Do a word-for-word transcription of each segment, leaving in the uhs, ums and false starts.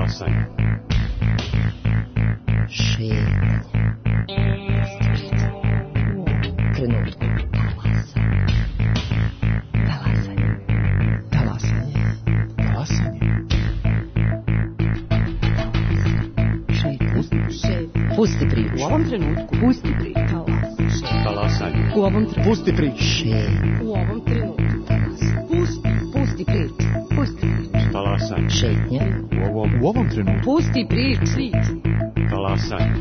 Talasanje. Šetanje. Trenutku. Talasanje. Talasanje. Talasanje. Šetanje. Pusti priču. U ovom trenutku. Pusti priču. Talasanje. U ovom trenutku. Pusti priču. Šetanje. U ovom trenutku. Pusti. Pusti priču. Pusti priču. Talasanje. Šetnja. U ovom, U ovom trenutku. Pusti priču. talasanje.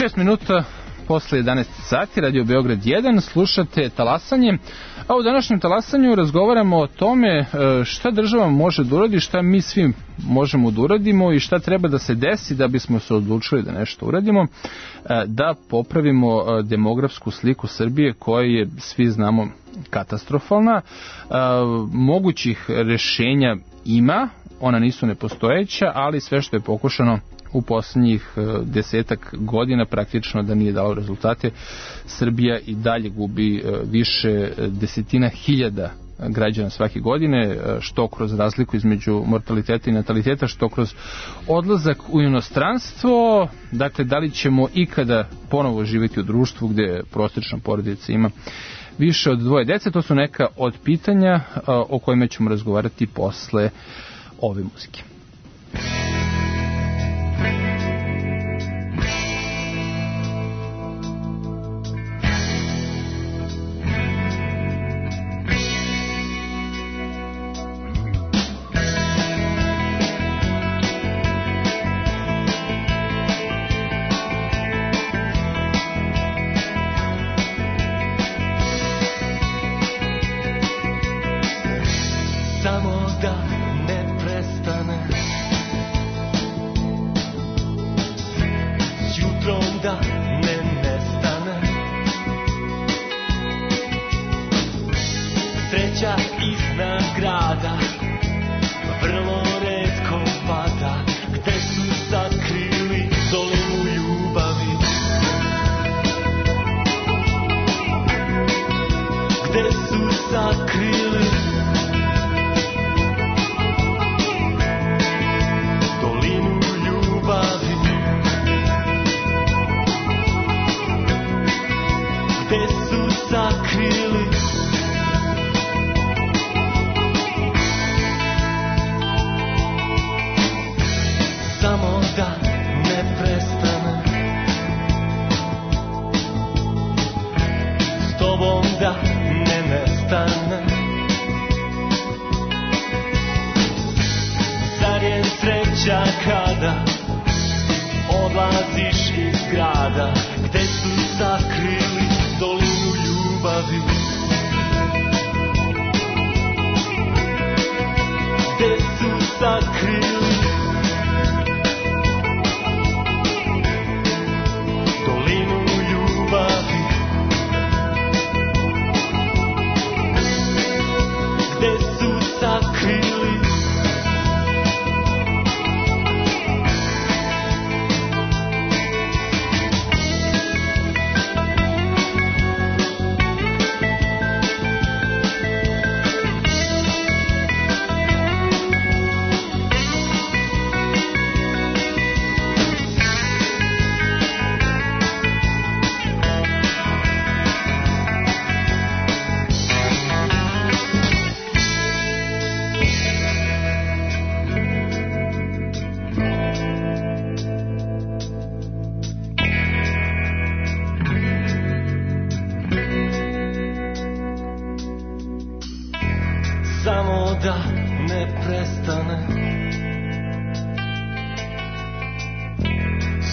šest minuta posle jedanaest sati, Radio Beograd jedan, slušate Talasanje. A u današnjem Talasanju razgovaramo o tome šta država može da uradi, šta mi svi možemo da uradimo i šta treba da se desi da bismo se odlučili da nešto uradimo, da popravimo demografsku sliku Srbije koja je, svi znamo, katastrofalna. Mogućih rešenja ima, ona nisu nepostojeća, ali sve što je pokušano u poslednjih desetak godina praktično da nije dalo rezultate. Srbija i dalje gubi više desetina hiljada građana svake godine, što kroz razliku između mortaliteta i nataliteta, što kroz odlazak u inostranstvo. Dakle, da li ćemo ikada ponovo živjeti u društvu gde prosječna porodica ima više od dvoje dece? To su neka od pitanja o kojima ćemo razgovarati posle ove muzike.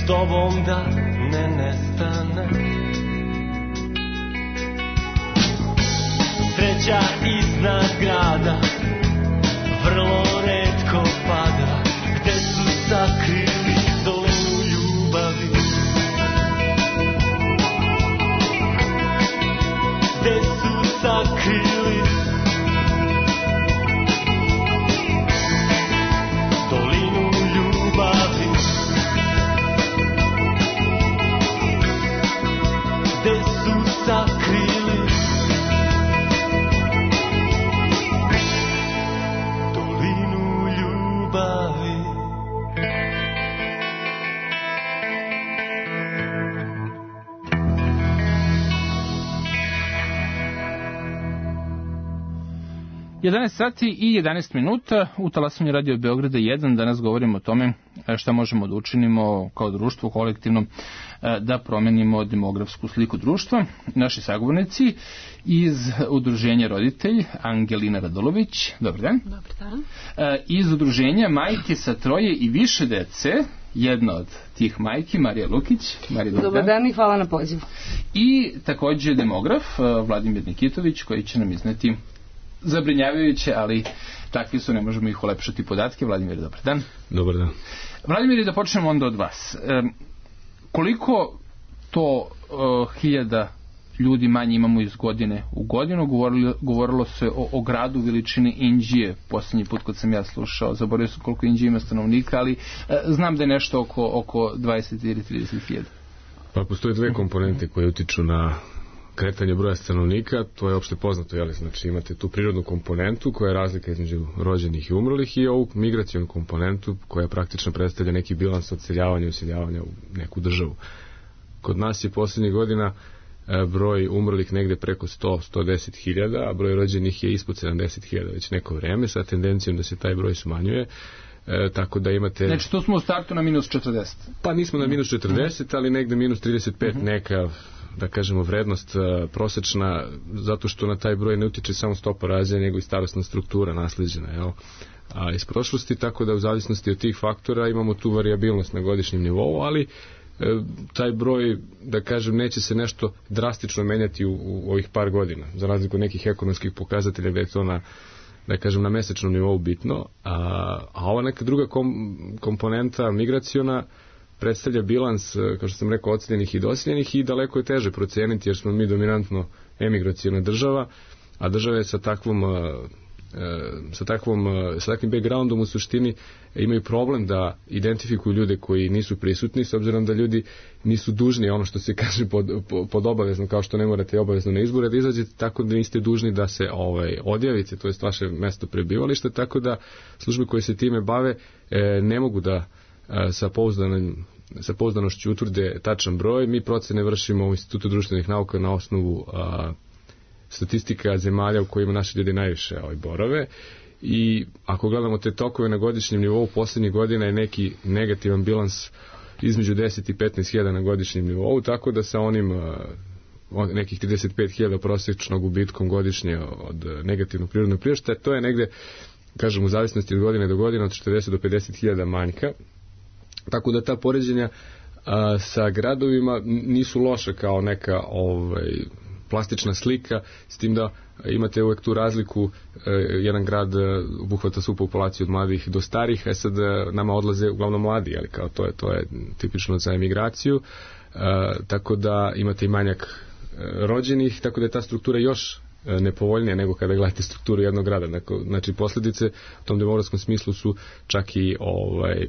s tobom da ne nestane. Sreća iznad grada vrlo retko pada. Gde su sakrili dolinu ljubavi? Gde su sakrili dolinu ljubavi? Gde su sakrili dolinu ljubavi? jedanaest sati i jedanaest minuta u talasanju Radio Beograda jedan. Danas govorimo o tome šta možemo da učinimo kao društvo kolektivno da promenimo demografsku sliku društva. Naši sagovornici iz udruženja Roditelj, Angelina Radulović, dobar dan. Dobar dan. Iz udruženja Majke sa troje i više dece, jedna od tih majki, Marija Lukić. Marija, dobar, dobar dan. dan i hvala na pozivu. I takođe demograf Vladimir Nikitović, koji će nam izneti zabrinjavajuće, ali takvi su, ne možemo ih ulepšati podatke. Vladimir, dobar dan. Dobar dan. Vladimir, da počnemo onda od vas. E, koliko to e, hiljada ljudi manje imamo iz godine u godinu? Govorilo, govorilo se o, o gradu veličine Inđije, posljednji put kad sam ja slušao, zaboravio sam koliko Inđije ima stanovnika, ali e, znam da je nešto oko, oko dvadeset ili trideset hiljada. Pa postoje dve komponente koje utiču na kretanje broja stanovnika, to je opšte poznato, jel? Znači imate tu prirodnu komponentu koja je razlika između rođenih i umrlih i ovu migracionu komponentu koja praktično predstavlja neki bilans odseljavanja i useljavanja u neku državu. Kod nas je poslednjih godina broj umrlih negde preko sto do sto deset hiljada, a broj rođenih je ispod sedamdeset hiljada već neko vreme, sa tendencijom da se taj broj smanjuje. E, tako da imate... Znači tu smo u startu na minus četrdeset. Pa nismo na minus četrdeset, ali negde minus trideset pet neka, da kažemo, vrednost uh, prosečna, zato što na taj broj ne utiče samo stopa razvoja, nego i starosna struktura naslijeđena, jel? A iz prošlosti, tako da u zavisnosti od tih faktora imamo tu variabilnost na godišnjem nivou, ali e, taj broj, da kažem, neće se nešto drastično menjati u, u ovih par godina, za razliku od nekih ekonomskih pokazatelja gde je to na, da kažem, na mesečnom nivou bitno, a, a ova neka druga kom, komponenta migraciona predstavlja bilans, kao što sam rekao, odseljenih i doseljenih i daleko je teže proceniti jer smo mi dominantno emigraciona država, a države sa takvom sa takvom sa takvim backgroundom u suštini imaju problem da identifikuju ljude koji nisu prisutni, s obzirom da ljudi nisu dužni ono što se kaže pod, pod obavezno, kao što ne morate obavezno na izbore da izađete, tako da niste dužni da se ovaj odjavite, to je vaše mesto prebivališta, tako da službe koje se time bave e, ne mogu da e, sa pouzdanim sa pouzdanošću utvrde tačan broj. Mi procene vršimo u Institutu društvenih nauka na osnovu a, statistika zemalja u kojima naši ljudi najviše ovaj, borave i ako gledamo te tokove na godišnjem nivou, poslednjih godina je neki negativan bilans između deset i petnaest hiljada na godišnjem nivou, tako da sa onim a, nekih trideset pet hiljada prosječnog gubitkom godišnje od negativnog prirodnog priraštaja, to je negde, kažem, u zavisnosti od godine do godine od četrdeset do pedeset hiljada manjka. Tako da ta poređenja a, sa gradovima nisu loše kao neka ovaj, plastična slika, s tim da imate uvek tu razliku, e, jedan grad obuhvata svu populaciju od mladih do starih, a sad nama odlaze uglavnom mladi, ali kao to je, to je tipično za emigraciju, e, tako da imate i manjak e, rođenih, tako da je ta struktura još nepovoljnija nego kada gledate strukturu jednog grada. Znači posljedice u tom demografskom smislu su čak i ovaj,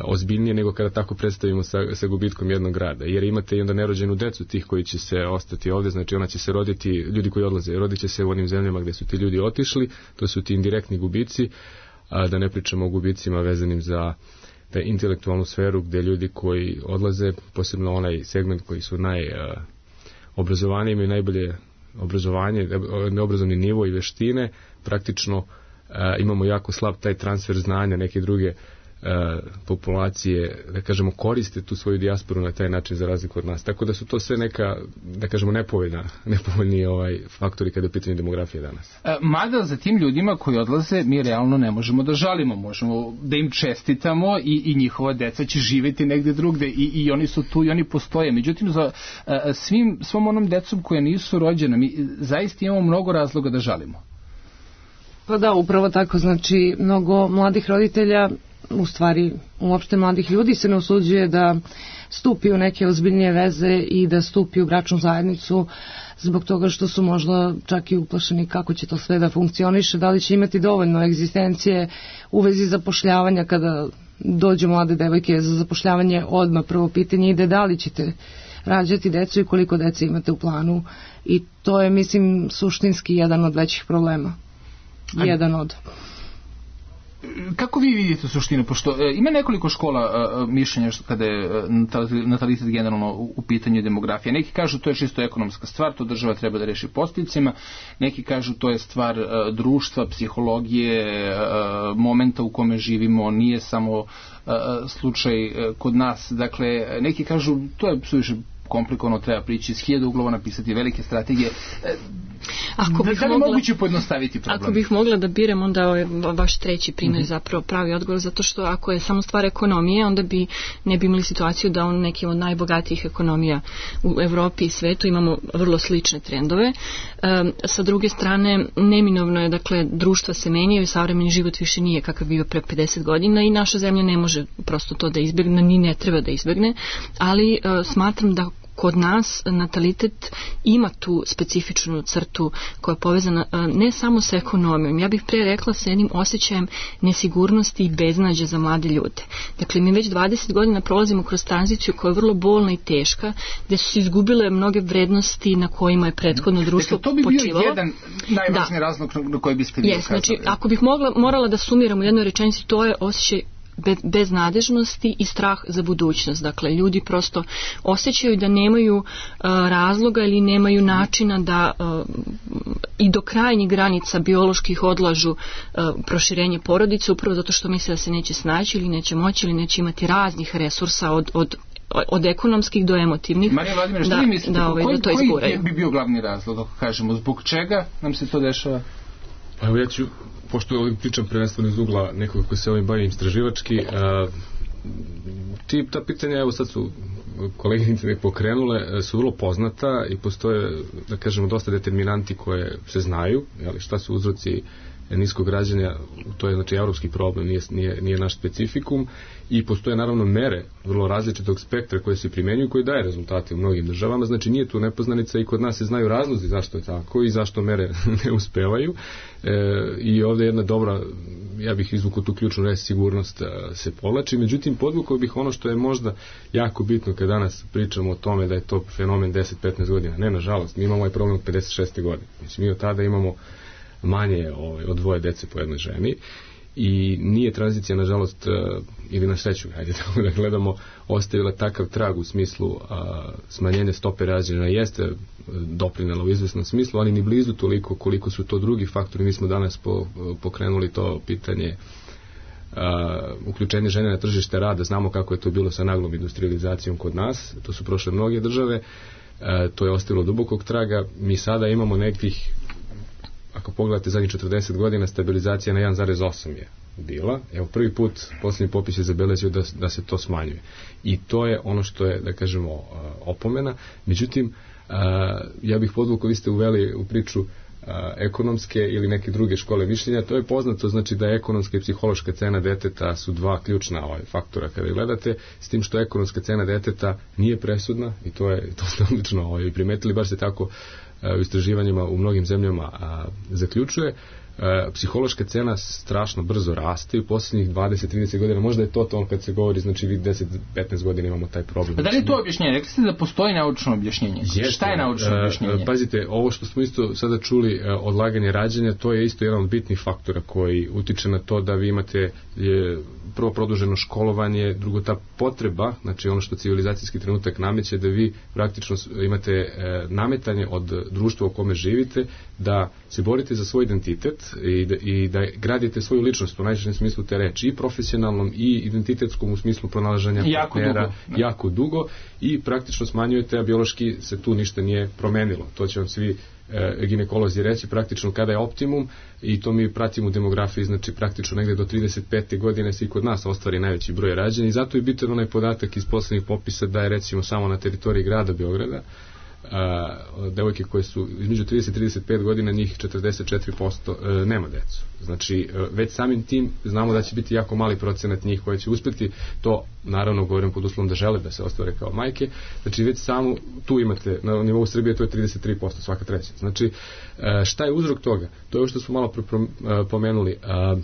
ozbiljnije nego kada tako predstavimo sa, sa gubitkom jednog grada, jer imate i onda nerođenu decu tih koji će se ostati ovde, znači ona će se roditi, ljudi koji odlaze, rodit će se u onim zemljama gde su ti ljudi otišli, to su ti indirektni gubici, a da ne pričamo o gubicima vezanim za da intelektualnu sferu gde ljudi koji odlaze, posebno onaj segment koji su najobrazovaniji, imaju najbolje obrazovanje, neobrazovni nivo i veštine, praktično a, imamo jako slab taj transfer znanja, neke druge populacije, da kažemo, koriste tu svoju dijasporu na taj način za razliku od nas. Tako da su to sve neka, da kažemo, nepovoljna, nepovoljni ovaj faktori kada je pitanje demografije danas. E, mada za tim ljudima koji odlaze mi realno ne možemo da žalimo, možemo da im čestitamo i, i njihova deca će živjeti negde drugde i, i oni su tu i oni postoje. Međutim, za e, svim, svom onom decom koja nisu rođena, mi zaista imamo mnogo razloga da žalimo. Pa da, upravo tako, znači mnogo mladih roditelja, u stvari uopšte mladih ljudi se ne usuđuje da stupi u neke ozbiljnije veze i da stupi u bračnu zajednicu zbog toga što su možda čak i uplašeni kako će to sve da funkcioniše, da li će imati dovoljno egzistencije u vezi zapošljavanja kada dođu mlade devojke za zapošljavanje. Odmah prvo pitanje ide da li ćete rađati decu i koliko dece imate u planu, i to je, mislim, suštinski jedan od većih problema. Jedan od. Kako vi vidite suštinu, pošto e, ima nekoliko škola e, mišljenja kada je e, natalitet generalno u, u pitanju demografije. Neki kažu to je čisto ekonomska stvar, to država treba da reši podsticajima, neki kažu to je stvar e, društva, psihologije, e, momenta u kome živimo, nije samo e, slučaj e, kod nas. Dakle, neki kažu to je suviše komplikovano, treba prići iz hiljada uglova, napisati velike strategije. Ako bih da li mogla, moguće pojednostaviti problem? Ako bih mogla da birem, onda je vaš treći primjer mm-hmm. zapravo pravi odgovor, zato što ako je samo stvar ekonomije, onda bi ne bi imali situaciju da u nekim od najbogatijih ekonomija u Evropi i svetu imamo vrlo slične trendove. E, sa druge strane, neminovno je, dakle, društva se menjaju i savremeni život više nije kakav bio pre pedeset godina i naša zemlja ne može prosto to da izbjegne, ni ne treba da izbjegne, ali e, smatram da kod nas natalitet ima tu specifičnu crtu koja je povezana ne samo sa ekonomijom, ja bih pre rekla sa jednim osjećajem nesigurnosti i beznađa za mlade ljude. Dakle, mi već dvadeset godina prolazimo kroz tranziciju koja je vrlo bolna i teška, gdje su se izgubile mnoge vrednosti na kojima je prethodno društvo počivalo. To bi bio počivalo. Jedan najvažniji da. razlog na koji biste vi ukazali. Znači, ako bih mogla, morala da sumiram u jednoj rečenici, to je osjećaj beznadežnosti i strah za budućnost. Dakle, ljudi prosto osjećaju da nemaju uh, razloga ili nemaju načina da uh, i do krajnjih granica bioloških odlažu uh, proširenje porodice, upravo zato što misle da se neće snaći ili neće moći ili neće imati raznih resursa od, od od ekonomskih do emotivnih. Marija Vladimir, što da, vi mislite? Da, ovaj, koji, da to izguraju. Koji bi bio glavni razlog, ako kažemo, zbog čega nam se to dešava? Pa evo, ja ću, pošto ovdje pričam prvenstveno iz ugla nekog koji se ovim bavim istraživački, a, ti, ta pitanja, evo sad su koleginice ne pokrenule, su vrlo poznata i postoje, da kažemo, dosta determinanti koje se znaju, jeli, šta su uzroci niskog rađanja, to je znači evropski problem, nije, nije, nije naš specifikum, i postoje naravno mere vrlo različitog spektra koje se primjenjuju, koje daje rezultate u mnogim državama, znači nije tu nepoznanica i kod nas se znaju razlozi zašto je tako i zašto mere ne uspevaju, e, i ovdje jedna dobra, ja bih izvukao tu ključnu reč, sigurnost se povlači. Međutim, podvukao bih ono što je možda jako bitno kad danas pričamo o tome da je to fenomen deset do petnaest godina. Ne, nažalost, mi imamo ovaj problem od pedeset šeste godine. Mislim, mi od tada imamo manje ovaj, od dvoje dece po jednoj ženi i nije tranzicija, nažalost, ili na sreću, hajde tako da gledamo, ostavila takav trag u smislu a, smanjenja stope rađanja, jeste doprinela u izvesnom smislu, ali ni blizu toliko koliko su to drugi faktori. Mi smo danas po, pokrenuli to pitanje a, uključenje žene na tržište rada, znamo kako je to bilo sa naglom industrializacijom kod nas, to su prošle mnoge države, a, to je ostavilo dubokog traga. Mi sada imamo nekih, ako pogledate zadnjih četrdeset godina, stabilizacija na jedan zarez osam je bila. Evo, prvi put posljednji popis je zabeležio da, da se to smanjuje. I to je ono što je, da kažemo, opomena. Međutim, ja bih podvukao, vi ste uveli u priču ekonomske ili neke druge škole mišljenja. To je poznato, znači da je ekonomska i psihološka cena deteta su dva ključna ovaj, faktora kada gledate, s tim što ekonomska cena deteta nije presudna, i to je to ste odlično ovaj, primetili, baš se tako u istraživanjima u mnogim zemljama a, zaključuje. A, psihološka cena strašno brzo raste i u posljednjih dvadeset do trideset godina, možda je to to kad se govori, znači vi deset do petnaest godina imamo taj problem. A da li je to objašnjenje? Rekli ste da postoji naučno objašnjenje. Jeste, šta je naučno objašnjenje? A, pazite, ovo što smo isto sada čuli, a, odlaganje rađanja, to je isto jedan od bitnih faktora koji utiče na to da vi imate je, prvo produženo školovanje, drugo ta potreba, znači ono što civilizacijski trenutak nameće, da vi praktično imate e, nametanje od društva u kome živite, da se borite za svoj identitet, i da, i da gradite svoju ličnost u najširem smislu te reči, i profesionalnom i identitetskom u smislu pronalaženja jako partnera dugo. jako dugo i praktično smanjujete, a biološki se tu ništa nije promenilo. To će vam svi e, ginekolozi reći praktično kada je optimum, i to mi pratimo u demografiji, znači praktično negde do trideset pete godine se i kod nas ostvari najveći broj rađanja, i zato je bitan onaj podatak iz poslednjih popisa da je recimo samo na teritoriji grada Beograda a, devojke koje su između trideset i trideset pet godina, njih četrdeset četiri posto e, nema decu. Znači e, već samim tim znamo da će biti jako mali procenat njih koje će uspeti to, naravno govorim pod uslovom da žele da se ostvare kao majke. Znači već samo tu imate na nivou Srbije, to je trideset tri posto, svaka treća. Znači e, šta je uzrok toga? To je ovo što smo malo pomenuli. A,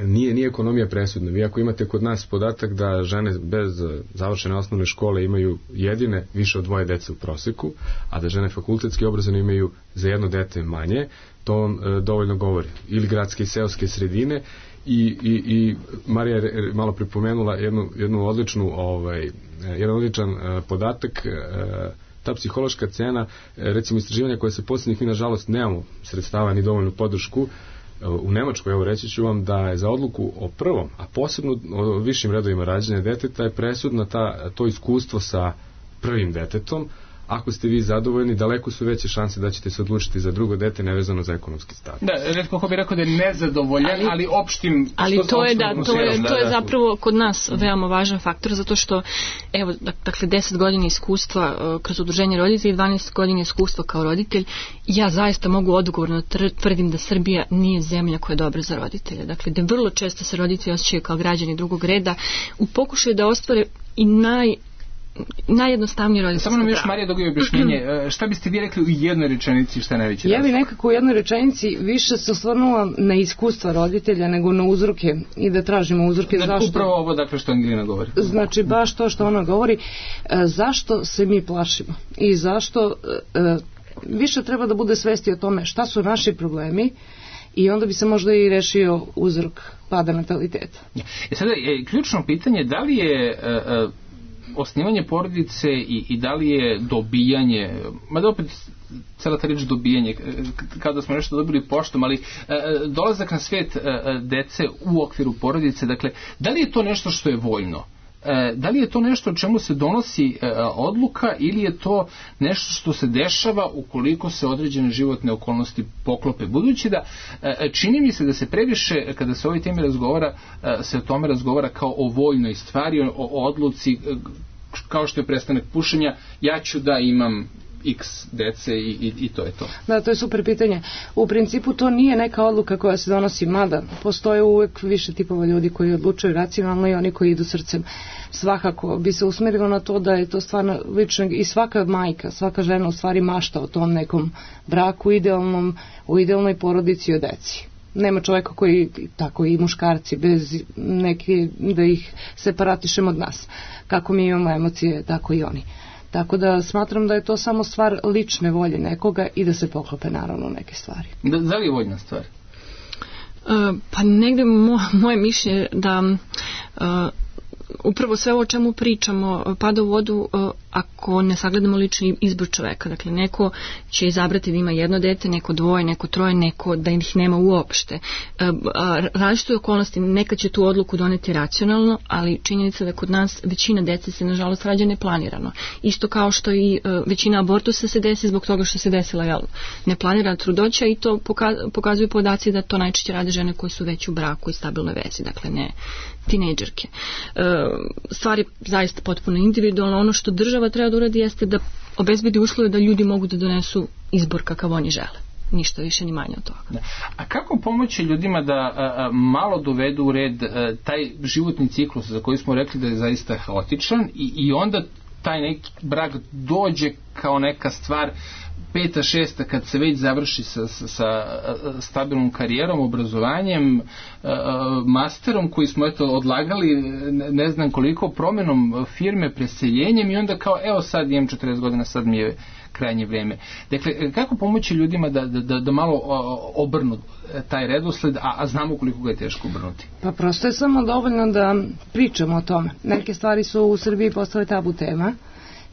Nije, nije ekonomija presudna. Vi ako imate kod nas podatak da žene bez završene osnovne škole imaju jedine više od dvoje dece u proseku, a da žene fakultetski obrazovane imaju za jedno dete manje, to on e, dovoljno govori. Ili gradske i seoske sredine, i, i, i Marija je malo pripomenula jednu, jednu odličnu ovaj, jedan odličan e, podatak, e, ta psihološka cena, e, recimo istraživanja koje se posljednjih, mi nažalost nemamo sredstava ni dovoljnu podršku. U Nemačkoj, evo reći ću vam da je za odluku o prvom, a posebno o višim redovima rađanja deteta, je presudno ta, to iskustvo sa prvim detetom. Ako ste vi zadovoljni, daleko su veće šanse da ćete se odlučiti za drugo dete nevezano za ekonomski status. Da, retko ko bi rekao da je nezadovoljan, ali, ali opštim... Ali to je, da, to je, da, to je da, zapravo kod nas veoma važan faktor, zato što, evo, dakle, deset godina iskustva uh, kroz udruženje roditelja i dvanaest godina iskustva kao roditelj, ja zaista mogu odgovorno tvrdim da Srbija nije zemlja koja je dobra za roditelje. Dakle, da vrlo često se roditelji osjećaju kao građani drugog reda u pokušaju da ostvare i naj najjednostavnije roditeljsko pravo. Samo nam još, Marija, dogoj objašnjenje. Šta biste vi rekli u jednoj rečenici, šta je najveći razlog? Ja bih nekako u jednoj rečenici više se osvrnula na iskustva roditelja nego na uzroke i da tražimo uzroke. Znači, zašto. Upravo ovo, dakle, što Angelina govori. Znači, baš to što ona govori. Zašto se mi plašimo i zašto više treba da bude svesti o tome šta su naši problemi, i onda bi se možda i rešio uzrok pada nataliteta. E sada, je ključno pitanje da li je uh, osnivanje porodice i, i da li je dobijanje, mada opet cela ta reč dobijanje, kao da smo nešto dobili poštom, ali uh, dolazak na svet uh, dece u okviru porodice, dakle, da li je to nešto što je voljno? Da li je to nešto o čemu se donosi odluka ili je to nešto što se dešava ukoliko se određene životne okolnosti poklope? Budući da čini mi se da se previše, kada se o ovoj temi razgovara, se o tome razgovara kao o voljnoj stvari, o, o odluci, kao što je prestanak pušenja, ja ću da imam x dece i, i, i to je to. Da, to je super pitanje. U principu to nije neka odluka koja se donosi, mada postoje uvek više tipova ljudi koji odlučuju racionalno i oni koji idu srcem. Svakako bi se usmerilo na to da je to stvarno lično, i svaka majka, svaka žena u stvari mašta o tom nekom braku idealnom, u idealnoj porodici i o deci. Nema čoveka koji, tako i muškarci, bez neke, da ih separatišemo od nas. Kako mi imamo emocije, tako i oni. Tako da smatram da je to samo stvar lične volje nekoga i da se poklope naravno neke stvari. Da, da li je voljna stvar? Uh, pa negde mo, moje mišljenje da uh, upravo sve o čemu pričamo pada u vodu uh, ako ne sagledamo lični izbor čoveka. Dakle, neko će izabrati da ima jedno dete, neko dvoje, neko troje, neko da ih nema uopšte. Uh, različite okolnosti, nekad će tu odluku doneti racionalno, ali činjenica da kod nas većina dece se nažalost rađa neplanirano. Isto kao što i uh, većina abortusa se desi zbog toga što se desila jel, neplanirana trudnoća, i to poka- pokazuju podaci da to najčešće rade žene koje su već u braku i stabilnoj vezi, dakle ne tinejdžerke. E, stvar je zaista potpuno individualna. Ono što država treba da uradi jeste da obezbedi uslove da ljudi mogu da donesu izbor kakav oni žele. Ništa više ni manje od toga. Da. A kako pomoći ljudima da a, a, malo dovedu u red a, taj životni ciklus za koji smo rekli da je zaista haotičan i, i onda taj neki brak dođe kao neka stvar peta, šesta, kad se već završi sa, sa, sa stabilnom karijerom, obrazovanjem, masterom koji smo eto odlagali ne znam koliko, promjenom firme, preseljenjem, i onda kao evo sad imam četrdeset godina, sad mi je krajnje vrijeme. Dakle, kako pomoći ljudima da, da, da malo obrnu taj redosled, a, a znamo koliko ga je teško obrnuti? Pa prosto je samo dovoljno da pričamo o tome. Neke stvari su u Srbiji postale tabu tema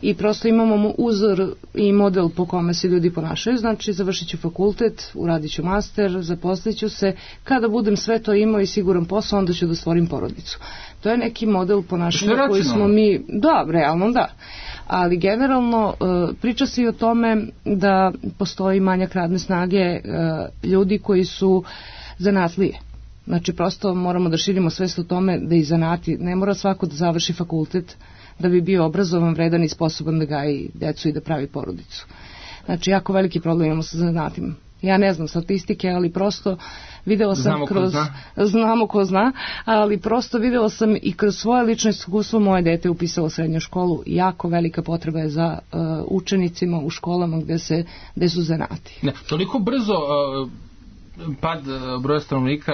i prosto imamo uzor i model po kome se ljudi ponašaju, znači završit ću fakultet, uradit ću master, zaposlit ću se, kada budem sve to imao i siguran posao, onda ću da stvorim porodicu. To je neki model ponašanja koji smo mi, da, realno da, ali generalno priča se i o tome da postoji manjak radne snage ljudi koji su zanatlije. Znači prosto moramo da širimo svest o tome da i zanati, ne mora svako da završi fakultet da bi bio obrazovan, vredan i sposoban da gaji decu i da pravi porodicu. Znači jako veliki problem imamo sa zanatima. Ja ne znam statistike, ali prosto videla sam znamo kroz... Ko zna. Znamo ko zna, ali prosto videla sam i kroz svoje lično iskustvo moje dete upisalo srednju školu. Jako velika potreba je za uh, učenicima u školama gde, se, gde su zanati. Ne, toliko brzo... Uh... pad broja stanovnika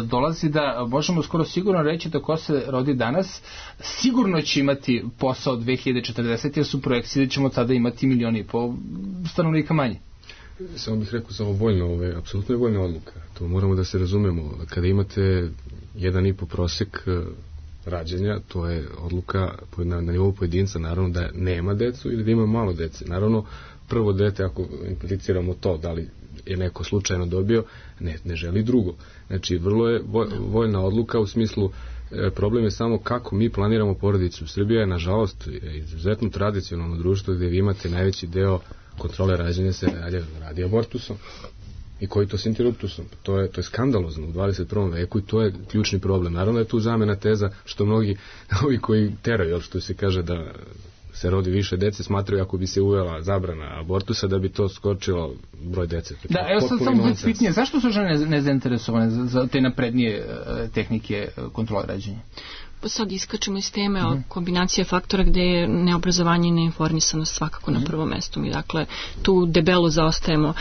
dolazi da možemo skoro sigurno reći da ko se rodi danas sigurno će imati posao dve hiljade četrdesete jer su projekcije da ćemo tada imati milioni i pol stanovnika manje. Samo bih rekao samo voljno, ove, apsolutno je voljna odluka. To moramo da se razumemo. Kada imate jedan i po prosek rađenja, to je odluka na, na nivou pojedinca, naravno da nema decu ili da ima malo dece. Naravno, prvo dete, ako impliciramo to, da li je neko slučajno dobio, ne, ne želi drugo. Znači, vrlo je voljna odluka u smislu, problem je samo kako mi planiramo porodicu. Srbija je, nažalost, izuzetno tradicionalno društvo gdje vi imate najveći deo kontrole rađenja se radi, radi abortusom. I koji to s interruptusom? To je, to je skandalozno u dvadeset prvom veku i to je ključni problem. Naravno je tu zamena teza što mnogi ovi koji teraju, što se kaže da se rodi više dece, smatraju ako bi se uvela zabrana abortusa da bi to skočilo broj dece. Da, evo sad samo bude pitanje, zašto su žene nezainteresovane za, za te naprednije uh, tehnike kontrole rađenja? Sad iskačemo iz teme o kombinacije faktora gde je neobrazovanje i neinformisanost svakako na prvom mestu. Mi dakle tu debelo zaostajemo.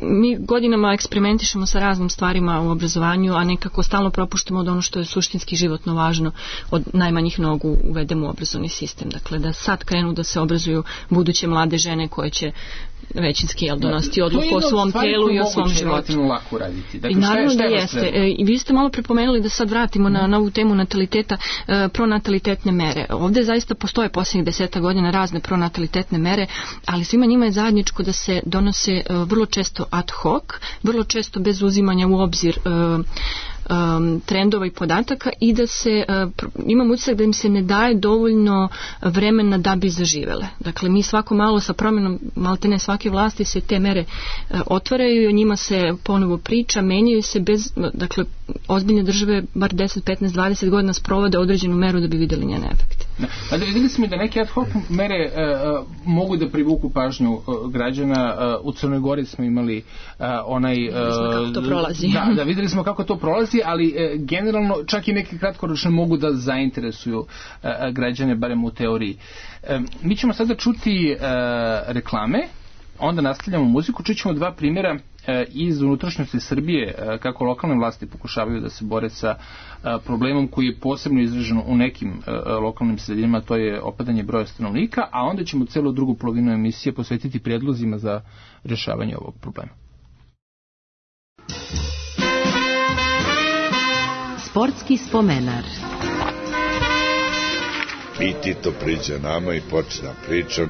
Mi godinama eksperimentišemo sa raznim stvarima u obrazovanju, a nekako stalno propuštamo od ono što je suštinski životno važno, od najmanjih nogu uvedemo u obrazovni sistem. Dakle, da sad krenu da se obrazuju buduće mlade žene koje će većinski jel, donositi odluku o svom telu i o svom životu. Lako raditi. Dakle, I naravno šta je, šta je da jeste. E, I vi ste malo prepomenuli da sad vratimo na novu temu nataliteta, e, pronatalitetne mere. Ovde zaista postoje posljednjih deseta godina razne pronatalitetne mere, ali svima njima je zajedničko da se donose e, vrlo često ad hoc, vrlo često bez uzimanja u obzir e, um, trendova i podataka i da se uh, imam utisak da im se ne daje dovoljno vremena da bi zaživele. Dakle, mi svako malo sa promjenom maltene svake vlasti se te mere uh, otvaraju i o njima se ponovo priča, menjaju se bez, dakle, ozbiljne države bar deset, petnaest, dvadeset godina sprovode određenu meru da bi videli njene efekte. Da, videli smo da neke ad hoc mere uh, mogu da privuku pažnju uh, građana. Uh, u Crnoj Gori smo imali uh, onaj... Uh, kako to prolazi. Da, da, videli smo kako to prolazi, ali uh, generalno čak i neke kratkoročne mogu da zainteresuju uh, građane, barem u teoriji. Uh, mi ćemo sada čuti uh, reklame, onda nastavljamo muziku, čućemo dva primjera iz unutrašnjosti Srbije, kako lokalne vlasti pokušavaju da se bore sa problemom koji je posebno izražen u nekim lokalnim sredinama, to je opadanje broja stanovnika, a onda ćemo celu drugu polovinu emisije posvetiti prijedlozima za rješavanje ovog problema. Sportski spomenar. I Tito priča nama i počne pričam.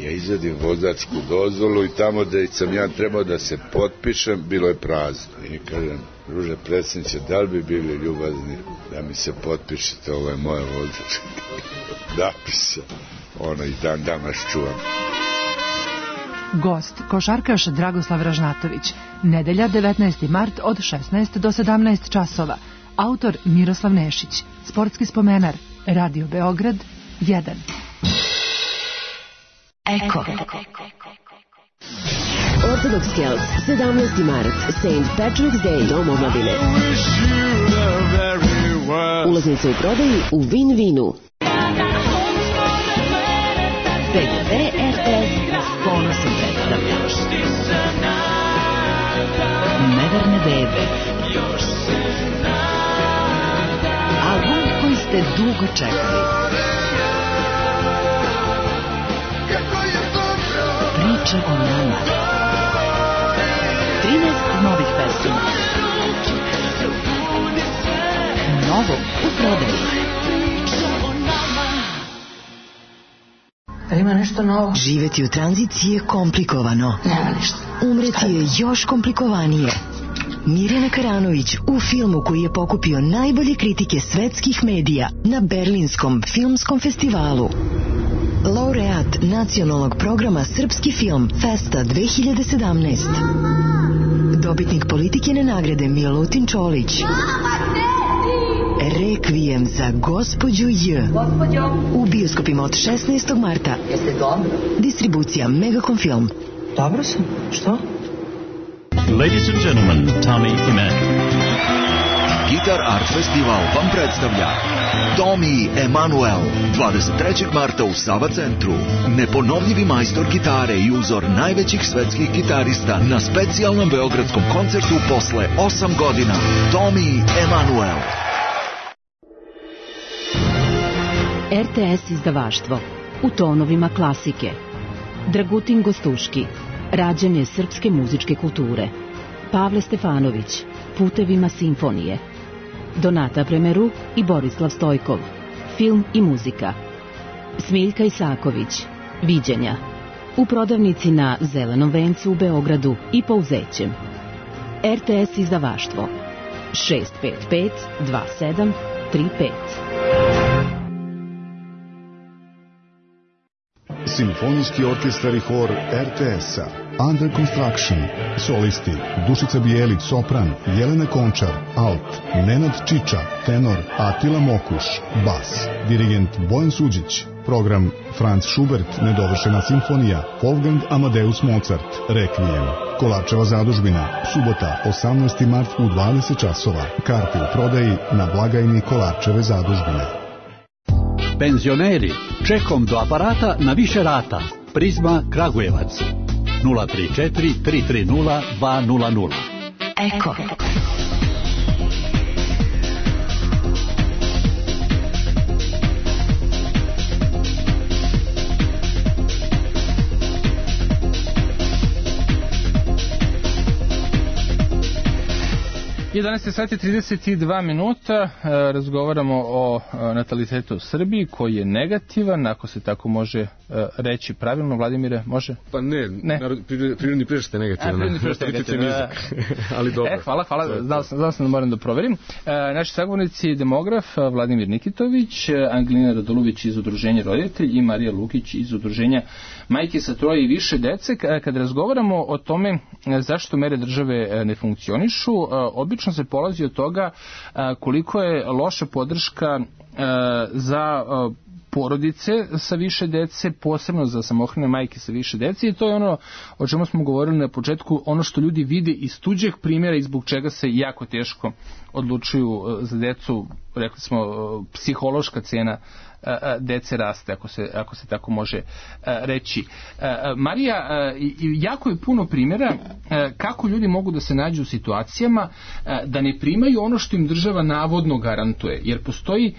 Ja izvadim vozačku dozvolu i tamo da sam ja trebao da se potpišem, bilo je prazno. I kažem, druže predsjedniče, da li bi bili ljubazni da mi se potpišete, ovo je moja vozačka. Da piše, ono i dan danas čuvam. Gost, košarkaš Dragoslav Ražnatović. Nedelja devetnaesti mart od šesnaest do sedamnaest časova. Autor Miroslav Nešić. Sportski spomenar. Radio Beograd jedan. Eko. Orthodox Girls, sedamnaesti mart, Saint Patrick's Day, Dom omladine. Ulaznice u prodaju u Vin Vinu. P G P R S s ponosom predstavlja Neverne bebe. Album koji ste dugo čekali. Priče o nama. trinaest novih pesama. Novo u prodaju. Jel ima nešto novo? Živeti u tranziciji je komplikovano. Nema ništa. Umreti je još komplikovanije. Mirjana Karanović u filmu koji je pokupio najbolje kritike svetskih medija na Berlinskom filmskom festivalu. Laureat nacionalnog programa Srpski film Festa dve hiljade sedamnaest. Dobitnik Politikine nagrade Milutin Čolić. Rekvijem za gospođu J. U bioskopima od šesnaestog marta. Jeste dobro? Distribucija Megacom Film. Dobro sam. Što? Ladies and gentlemen, Tommy Emanuel. Guitar Art Festival vam predstavlja Tommy Emanuel dvadeset trećeg marta u Sava centru. Neponovljivi majstor gitare i uzor najvećih svetskih gitarista na specijalnom beogradskom koncertu posle osam godina. Tommy Emanuel. R T S izdavaštvo u tonovima klasike. Dragutin Gostuški, rađanje srpske muzičke kulture. Pavle Stefanović, putevima simfonije. Donata Premeru i Borislav Stojkov, film i muzika. Smiljka Isaković, viđenja. U prodavnici na Zelenom vencu u Beogradu i Pouzećem. R T S izdavaštvo šest pet pet dva sedam tri pet. Simfonijski orkestar i hor R T S-a. Under Construction. Solisti Dušica Bijelić, sopran, Jelena Končar, alt, Nenad Čiča, tenor, Atila Mokuš, bas, dirigent Bojan Suđić. Program Franz Schubert, nedovršena simfonija, Wolfgang Amadeus Mozart, Rekvijem. Kolarčeva zadužbina, subota, osamnaesti mart u dvadeset časova. Karte u prodaji na blagajni Kolarčeve zadužbine. Penzioneri, čekom do aparata na više rata. Prizma Kragujevac. nula tri četiri tri tri nula dva nula nula. Eko. jedanaest sati trideset dva minuta, razgovaramo o natalitetu u Srbiji koji je negativan, ako se tako može reći pravilno. Vladimire, može? Pa ne, ne. Prirodni priraštaj je negativan. A, prirodni priraštaj je negativan. Ali dobro. E, hvala, hvala, znao sam, znao sam da moram da proverim. Naši sagovornici demograf Vladimir Nikitović, Angelina Radulović iz Udruženja Roditelj i Marija Lukić iz Udruženja Majke sa troje i više dece. Kad razgovaramo o tome zašto mere države ne funkcionišu, obično se polazi od toga koliko je loša podrška za porodice sa više dece, posebno za samohrane majke sa više dece, i to je ono o čemu smo govorili na početku, ono što ljudi vide iz tuđeg primjera i zbog čega se jako teško odlučuju za decu. Rekli smo, psihološka cena dece raste, ako se, ako se tako može reći. Marija, jako je puno primjera kako ljudi mogu da se nađu u situacijama da ne primaju ono što im država navodno garantuje, jer postoji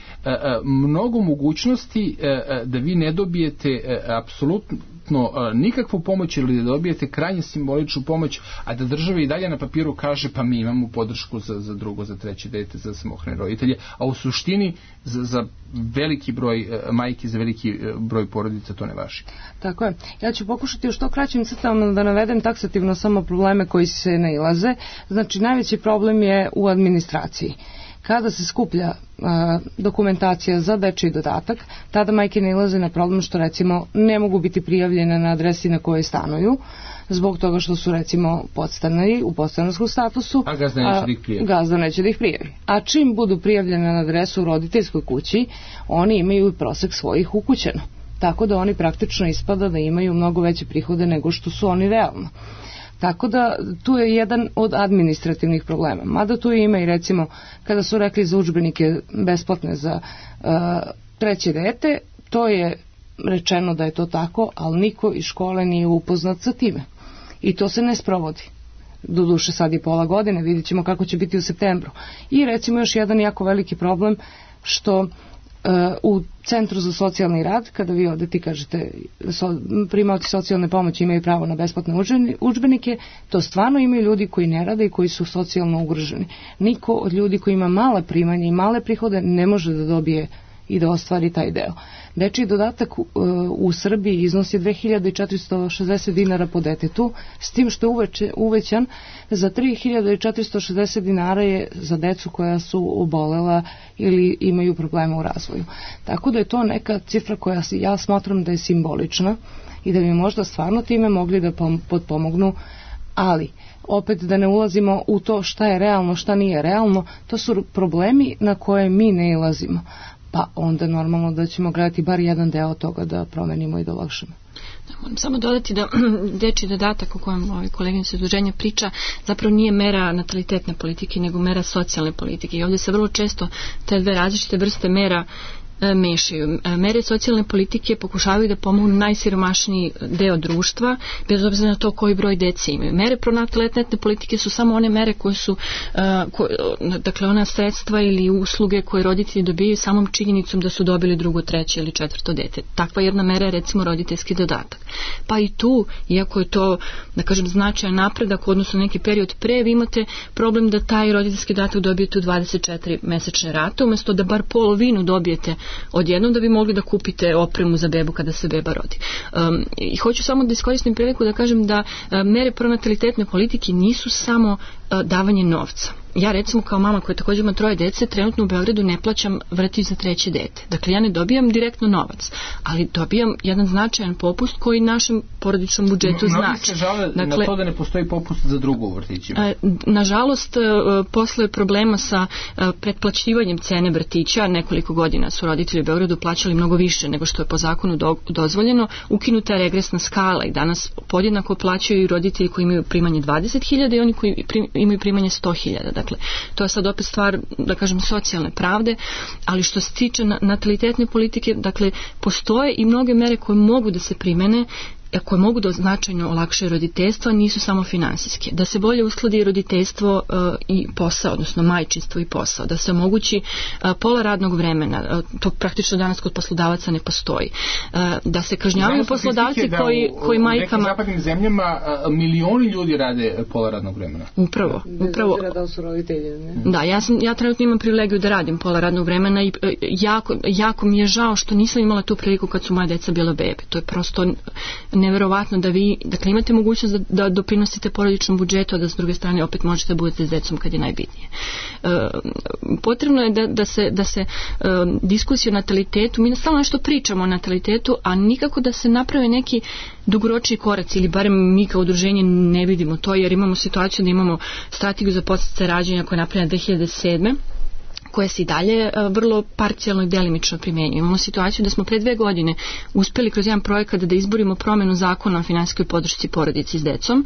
mnogo mogućnosti da vi ne dobijete apsolutno nikakvu pomoć ili da dobijete krajnje simboličnu pomoć, a da država i dalje na papiru kaže pa mi imamo podršku za, za drugo, za treće dete, za samohrane roditelje, a u suštini za, za veliki broj majki, za veliki broj porodica to ne važi. Tako je. Ja ću pokušati u što kraćim crtama da navedem taksativno samo probleme koji se nailaze. Znači, najveći problem je u administraciji. Kada se skuplja a, dokumentacija za dečiji dodatak, tada majke nailaze na problem što recimo ne mogu biti prijavljene na adresi na kojoj stanuju, zbog toga što su recimo podstanari u podstanarskom statusu, a gazda neće da ih prijavi. Gazda neće da ih prijavi. A čim budu prijavljene na adresu u roditeljskoj kući, oni imaju prosek svojih ukućeno. Tako da oni praktično ispada da imaju mnogo veće prihode nego što su oni realno. Tako da tu je jedan od administrativnih problema. Mada tu ima i recimo kada su rekli za udžbenike besplatne za uh, treće dete, to je rečeno da je to tako, ali niko iz škole nije upoznat sa time. I to se ne sprovodi. Doduše sad je pola godine, vidjet ćemo kako će biti u septembru. I recimo još jedan jako veliki problem što u Centru za socijalni rad, kada vi odete i kažete so, primaoci socijalne pomoći imaju pravo na besplatne udžbenike, to stvarno imaju ljudi koji ne rade i koji su socijalno ugroženi. Niko od ljudi koji ima mala primanja i male prihode ne može da dobije i da ostvari taj deo. Dečiji dodatak u, u Srbiji iznosi dve hiljade četiristo šezdeset dinara po detetu, s tim što je uveće, uvećan za tri hiljade četiristo šezdeset dinara je za decu koja su obolela ili imaju problema u razvoju. Tako da je to neka cifra koja ja smatram da je simbolična i da bi možda stvarno time mogli da potpomognu, ali opet da ne ulazimo u to šta je realno, šta nije realno, to su problemi na koje mi ne ilazimo. Pa onda normalno da ćemo gledati bar jedan deo toga da promenimo i da olakšamo. Moram samo dodati da dečji dodatak o kojem ovaj koleginica udruženja priča zapravo nije mera natalitetne politike, nego mera socijalne politike. I ovdje se vrlo često te dve različite vrste mera mešaju. Mere socijalne politike pokušavaju da pomognu najsiromašniji deo društva, bez obzira na to koji broj dece imaju. Mere pronatalitetne politike su samo one mere koje su, koje, dakle ona sredstva ili usluge koje roditelji dobijaju samom činjenicom da su dobili drugo, treće ili četvrto dete. Takva jedna mera je recimo roditeljski dodatak. Pa i tu, iako je to, da kažem, značajan napredak u odnosu na neki period pre, vi imate problem da taj roditeljski dodatak dobijete u dvadeset četiri mesečne rate, umjesto da bar polovinu dobijete odjednom da bi mogli da kupite opremu za bebu kada se beba rodi. Um, I hoću samo da iskoristim priliku da kažem da uh, mere pronatalitetne politike nisu samo uh, davanje novca. Ja recimo kao mama koja također ima troje dece, trenutno u Beogradu ne plaćam vrtić za treće dete. Dakle, ja ne dobijam direktno novac, ali dobijam jedan značajan popust koji našem porodičnom budžetu znači. Mnogi se žale dakle, na to da ne postoji popust za drugo u vrtićima. Nažalost, posle problema sa pretplaćivanjem cene vrtića, nekoliko godina su roditelji u Beogradu plaćali mnogo više nego što je po zakonu do, dozvoljeno, ukinuta je regresna skala i danas podjednako plaćaju i roditelji koji imaju primanje dvadeset hiljada i oni koji prim, imaju primanje sto hiljada. Dakle, to je sad opet stvar, da kažem, socijalne pravde, ali što se tiče natalitetne politike, dakle, postoje i mnoge mere koje mogu da se primene, koje mogu da značajno olakšaju roditeljstvo, nisu samo finansijske. Da se bolje uskladi roditeljstvo uh, i posao, odnosno majčinstvo i posao. Da se omogući uh, pola radnog vremena. Uh, to praktično danas kod poslodavaca ne postoji. Uh, da se kažnjavaju poslodavci koji, koji majkama... U nekim zapadnim zemljama uh, milioni ljudi rade pola radnog vremena. Upravo. upravo. Da su roditelji, ne? Da, ja, sam, ja trenutno imam privilegiju da radim pola radnog vremena i uh, jako, jako mi je žao što nisam imala tu priliku kad su moja deca bila bebe. To je prosto neverovatno da vi, dakle, imate mogućnost da, da doprinosite porodičnom budžetu, a da s druge strane opet možete da budete s decom kad je najbitnije. E, potrebno je da, da se, da se e, diskusija o natalitetu, mi stalno nešto pričamo o natalitetu, a nikako da se naprave neki dugoročni koraci, ili barem mi kao udruženje ne vidimo to, jer imamo situaciju da imamo strategiju za podsticaj rađanja koja je napravljena dve hiljade sedme koje se i dalje vrlo parcijalno i delimično primjenjuju. Imamo situaciju da smo pre dve godine uspeli kroz jedan projekat da izborimo promenu zakona o finansijskoj podršci porodici s decom,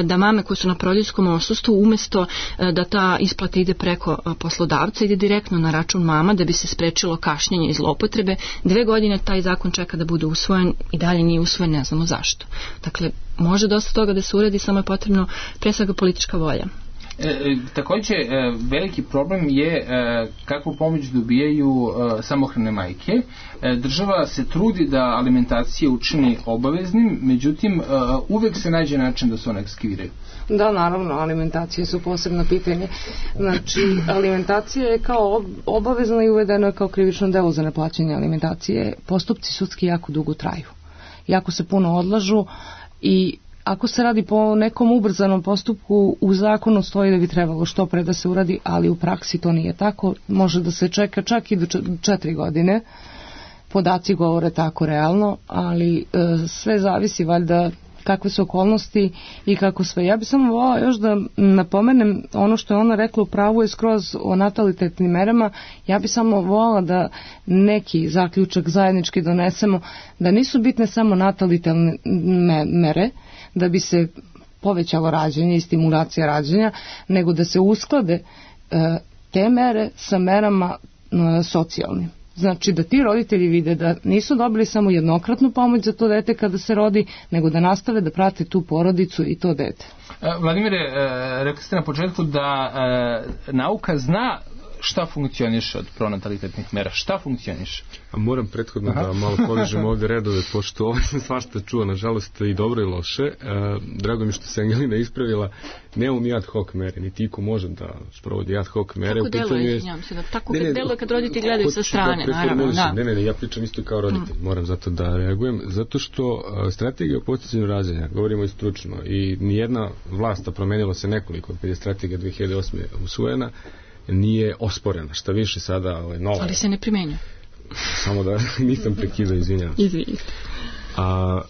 da mame koje su na porodiljskom odsustvu, umesto da ta isplata ide preko poslodavca, ide direktno na račun mama da bi se sprečilo kašnjenje i zloupotrebe. Dve godine taj zakon čeka da bude usvojen i dalje nije usvojen, ne znamo zašto. Dakle, može dosta toga da se uredi, samo je potrebno pre svega politička volja. E, također e, veliki problem je e, kakvu pomoć dobijaju e, samohrane majke. E, država se trudi da alimentacije učini obaveznim, međutim e, uvek se nađe način da se one ekskiviraju. Da, naravno, alimentacije su posebno pitanje. Znači, alimentacija je kao obavezna i uvedena kao krivično delo za neplaćanje alimentacije. Postupci sudski jako dugo traju. Jako se puno odlažu i ako se radi po nekom ubrzanom postupku, u zakonu stoji da bi trebalo što pre da se uradi, ali u praksi to nije tako. Može da se čeka čak i do četiri godine. Podaci govore tako realno, ali e, sve zavisi valjda kakve su okolnosti i kako sve. Ja bih samo volila još da napomenem ono što je ona rekla, u pravu je skroz o natalitetnim merama. Ja bih samo volila da neki zaključak zajednički donesemo, da nisu bitne samo natalitetne mere, da bi se povećalo rađenje i stimulacija rađenja, nego da se usklade e, te mere sa merama e, socijalnim. Znači da ti roditelji vide da nisu dobili samo jednokratnu pomoć za to dete kada se rodi, nego da nastave da prate tu porodicu i to dete. Vladimire, rekli ste na početku da nauka zna šta funkcioniše od pronatalitetnih mera? Šta funkcioniše? A moram prethodno Aha. da malo povežem ovde redove, pošto ovo sam svašta čuo, nažalost i dobro i loše. E, drago mi što se Angelina ispravila, nemamo mi ad hoc mere, niti iko može da sprovodi ad hoc mere. Tako deluje, izvinjam se, da tako ne, ne, deluje kad roditelji gledaju sa strane, da naravno. Da. Ne, ne, ne, ja pričam isto kao roditelj, mm. moram zato da reagujem, zato što a, strategija o podsticanju rađanja, govorimo i stručno, i nijedna vlast, promenilo se nekoliko, kad je strategija dve hiljade osme usvojena, nije osporena, šta više sada ovaj, nova. Ali se ne primenja. Samo da nisam prekidao, izvinjam se. Izvinjam. A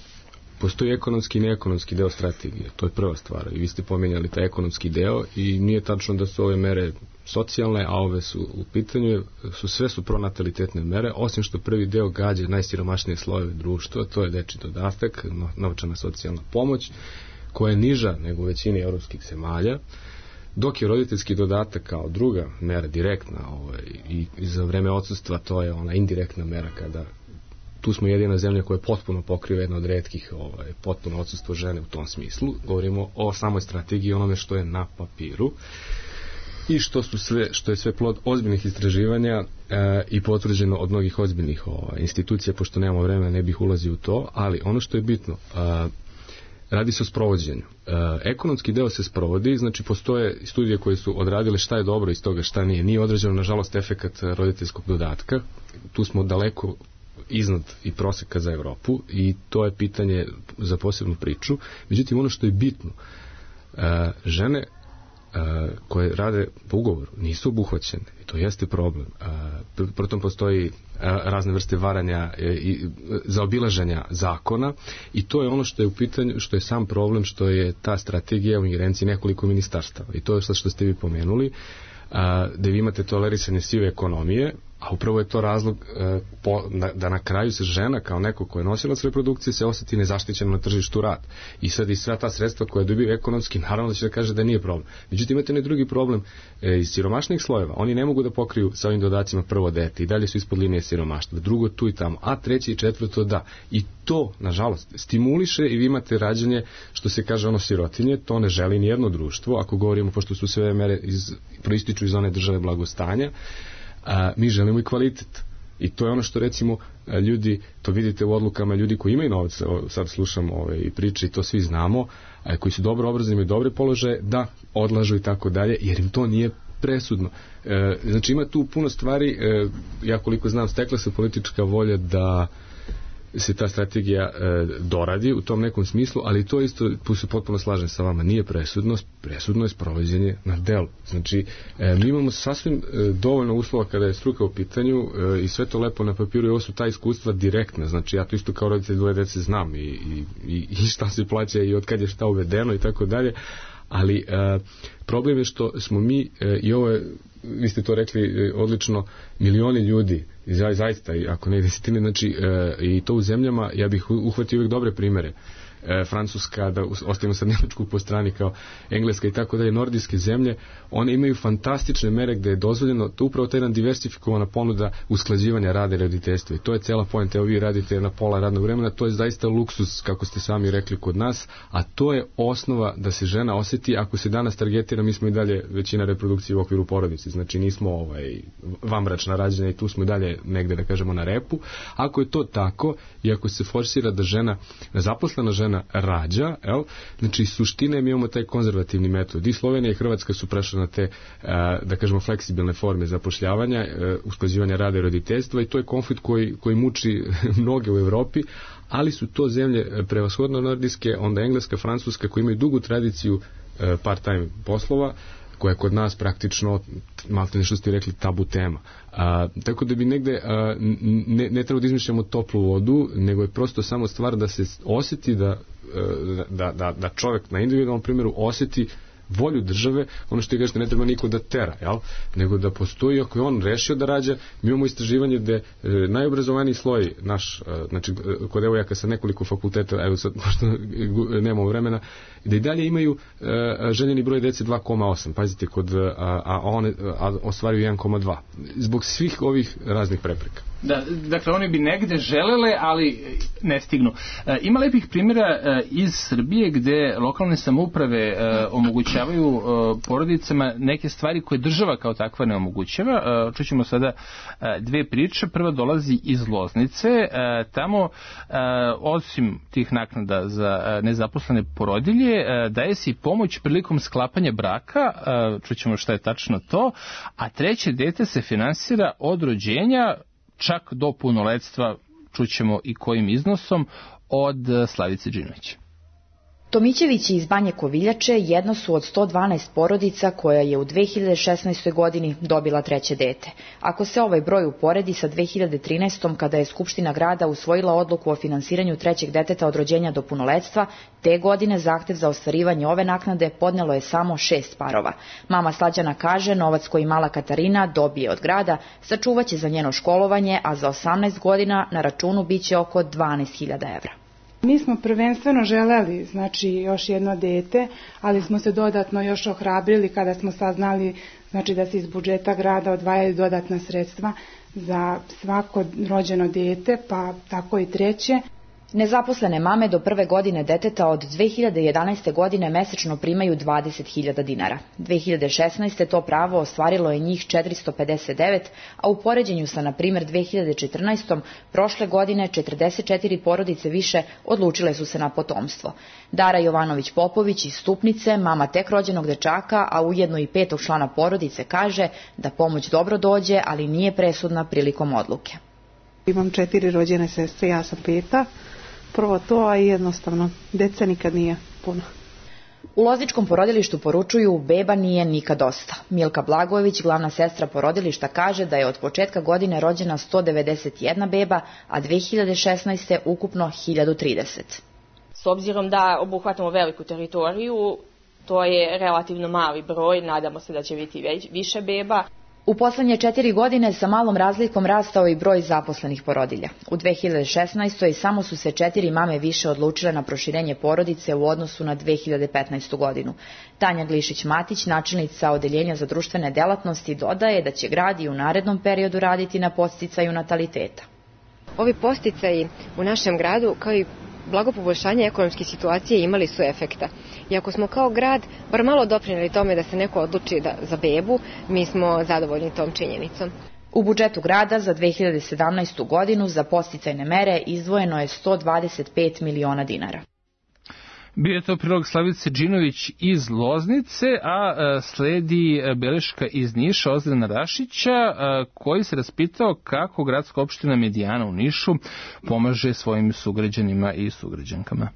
postoji ekonomski i neekonomski deo strategije, to je prva stvar. I vi ste pomenjali taj ekonomski deo i nije tačno da su ove mere socijalne, a ove su u pitanju, su sve su pronatalitetne mere, osim što prvi deo gađa najsiromašnije slojeve društva, to je dečji dodatak, novčana socijalna pomoć, koja je niža nego u većini evropskih zemalja, dok je roditeljski dodatak kao druga mera direktna ovaj, i, i za vreme odsustva to je ona indirektna mera kada tu smo jedina zemlja koja potpuno pokriva jedna od retkih ovaj, potpuno odsustvo žene u tom smislu. Govorimo o samoj strategiji, onome što je na papiru i što su sve, što je sve plod ozbiljnih istraživanja e, i potvrđeno od mnogih ozbiljnih ovaj, institucija, pošto nemamo vremena ne bih ulazio u to, ali ono što je bitno, a, radi se o sprovođenju. E, ekonomski deo se sprovodi, znači postoje studije koje su odradile šta je dobro iz toga, šta nije. Nije određeno, nažalost, efekat roditeljskog dodatka. Tu smo daleko iznad i proseka za Evropu i to je pitanje za posebnu priču. Međutim, ono što je bitno, e, žene e, koje rade po ugovoru nisu obuhvaćene i to jeste problem. E, Protom postoji razne vrste varanja i zaobilaženja zakona i to je ono što je u pitanju, što je sam problem, što je ta strategija u ingerenciji nekoliko ministarstava i to je sad što ste vi pomenuli, da vi imate tolerisanje sive ekonomije, a upravo je to razlog e, po, na, da na kraju se žena kao neko ko je nosilac reprodukcije se osjeti nezaštićeno na tržištu rada. I sad i sva ta sredstva koja dobiju ekonomski, naravno da će da kaže da nije problem. Međutim, imate ne drugi problem e, iz siromašnih slojeva. Oni ne mogu da pokriju sa ovim dodacima prvo dete i dalje su ispod linije siromaštva. Drugo tu i tamo, a treće i četvrto da. I to, nažalost, stimuliše i vi imate rađanje, što se kaže ono sirotinje, to ne želi nijedno društvo, ako govorimo, pošto su sve mere iz, proističu iz one države blagostanja, a, mi želimo i kvalitet. I to je ono što recimo ljudi, to vidite u odlukama ljudi koji imaju novac, sad slušamo ove i priče i to svi znamo, a, koji su dobro obrazovani, imaju dobre položaje, da odlažu i tako dalje, jer im to nije presudno. E, znači ima tu puno stvari, e, ja koliko znam, stekla se politička volja da se ta strategija e, doradi u tom nekom smislu, ali to isto, tu se potpuno slažem sa vama, nije presudno, presudno je sprovođenje na delu. Znači, e, mi imamo sasvim e, dovoljno uslova kada je struka u pitanju e, i sve to lepo na papiru i ovo su ta iskustva direktna, znači ja to isto kao roditelj dvoje dece znam i, i, i, i šta se plaća i od kad je šta uvedeno i tako dalje, ali e, problem je što smo mi e, i ovo je, vi ste to rekli e, odlično, milioni ljudi za, zaista, ako ne desetine, znači e, i to u zemljama, ja bih uhvatio uvijek dobre primere, e, Francuska, da ostavimo sad Nemačku po strani kao Engleska i tako dalje, nordijske zemlje, one imaju fantastične mere gde je dozvoljeno, to upravo ta jedna diversifikovana ponuda usklađivanja rada i roditeljstva i to je cela poenta, evo vi radite na pola radnog vremena, to je zaista luksus, kako ste sami rekli kod nas, a to je osnova da se žena osjeti, ako se danas targetira, mi smo i dalje većina reprodukcije u okviru porodice, znači nismo ovaj, vanbračna rađanja i tu smo i dalje negde, da kažemo, na repu. Ako je to tako i ako se forsira da žena, zaposlena žena rađa, el, znači suštine mi imamo taj konzervativni metod i Slovenija i Hrvatska su prešle na te, da kažemo, fleksibilne forme zapošljavanja, usklađivanja rada i roditeljstva i to je konflikt koji, koji muči mnoge u Evropi, ali su to zemlje prevashodno nordijske, onda Engleska, Francuska, koji imaju dugu tradiciju part-time poslova, koja je kod nas praktično, malo nešto ste rekli, tabu tema. A, tako da bi negde, a, ne, ne treba da izmišljamo toplu vodu, nego je prosto samo stvar da se osjeti da, da, da, da čovjek na individualnom primjeru osjeti volju države, ono što je kažete, ne treba niko da tera, jel? Nego da postoji, ako je on rešio da rađa, mi imamo istraživanje gde e, najobrazovaniji sloj naš, e, znači kod devojaka sa nekoliko fakulteta, evo sad, pošto nemamo vremena, da i dalje imaju e, željeni broj dece dva zarez osam, pazite, kod, a, a one a ostvaruju jedan zarez dva. Zbog svih ovih raznih prepreka. Da, dakle, oni bi negde želele, ali ne stignu. E, ima lepih primjera e, iz Srbije gde lokalne samouprave e, omogućavaju e, porodicama neke stvari koje država kao takva ne omogućava. E, čućemo sada e, dve priče. Prva dolazi iz Loznice. E, tamo, e, osim tih naknada za e, nezaposlene porodilje, e, daje se i pomoć prilikom sklapanja braka. E, čućemo šta je tačno to. A treće dete se finansira od rođenja čak do punoletstva, čućemo i kojim iznosom, od Slavice Đinovića. Tomićevići iz Banje Koviljače jedno su od sto dvanaest porodica koja je u dve hiljade šesnaestoj. godini dobila treće dete. Ako se ovaj broj uporedi sa dve hiljade trinaestom. kada je Skupština grada usvojila odluku o finansiranju trećeg deteta od rođenja do punoletstva, te godine zahtev za ostvarivanje ove naknade podnelo je samo šest parova. Mama Slađana kaže, novac koji mala Katarina dobije od grada sačuvaće za njeno školovanje, a za osamnaest godina na računu biće oko dvanaest hiljada evra. Mi smo prvenstveno želeli, znači, još jedno dete, ali smo se dodatno još ohrabrili kada smo saznali, znači, da se iz budžeta grada odvajaju dodatna sredstva za svako rođeno dete, pa tako i treće. Nezaposlene mame do prve godine deteta od dve hiljade jedanaeste. godine mesečno primaju dvadeset hiljada dinara. dve hiljade šesnaeste. to pravo ostvarilo je njih četiristo pedeset devet, a u poređenju sa, na primjer, dve hiljade četrnaestom. prošle godine četrdeset četiri porodice više odlučile su se na potomstvo. Dara Jovanović-Popović iz Stupnice, mama tek rođenog dečaka, a ujedno i petog člana porodice, kaže da pomoć dobro dođe, ali nije presudna prilikom odluke. Imam četiri rođene sestre, ja sam peta. Prvo to, a jednostavno, deca nikad nije puno. U Lozničkom porodilištu poručuju, beba nije nikad dosta. Milka Blagojević, glavna sestra porodilišta, kaže da je od početka godine rođena sto devedeset jedna beba, a dve hiljade šesnaeste. ukupno hiljadu trideset. S obzirom da obuhvatamo veliku teritoriju, to je relativno mali broj, nadamo se da će biti više beba. U poslednje četiri godine sa malom razlikom rastao i broj zaposlenih porodilja. U dve hiljade šesnaestoj. samo su se četiri mame više odlučile na proširenje porodice u odnosu na dve hiljade petnaestu. godinu. Tanja Glišić-Matić, načelnica Odeljenja za društvene delatnosti, dodaje da će grad i u narednom periodu raditi na podsticaju nataliteta. Ovi podsticaji u našem gradu, kao i blago poboljšanje ekonomske situacije, imali su efekta. I ako smo kao grad bar malo doprineli tome da se neko odluči da, za bebu, mi smo zadovoljni tom činjenicom. U budžetu grada za dve hiljade sedamnaestu. godinu za podsticajne mere izdvojeno je sto dvadeset pet miliona dinara. Bio je to prilog Slavice Đinović iz Loznice, a sledi beleška iz Niša Ozrena Rašića, koji se raspitao kako gradska opština Medijana u Nišu pomaže svojim sugrađanima i sugrađankama.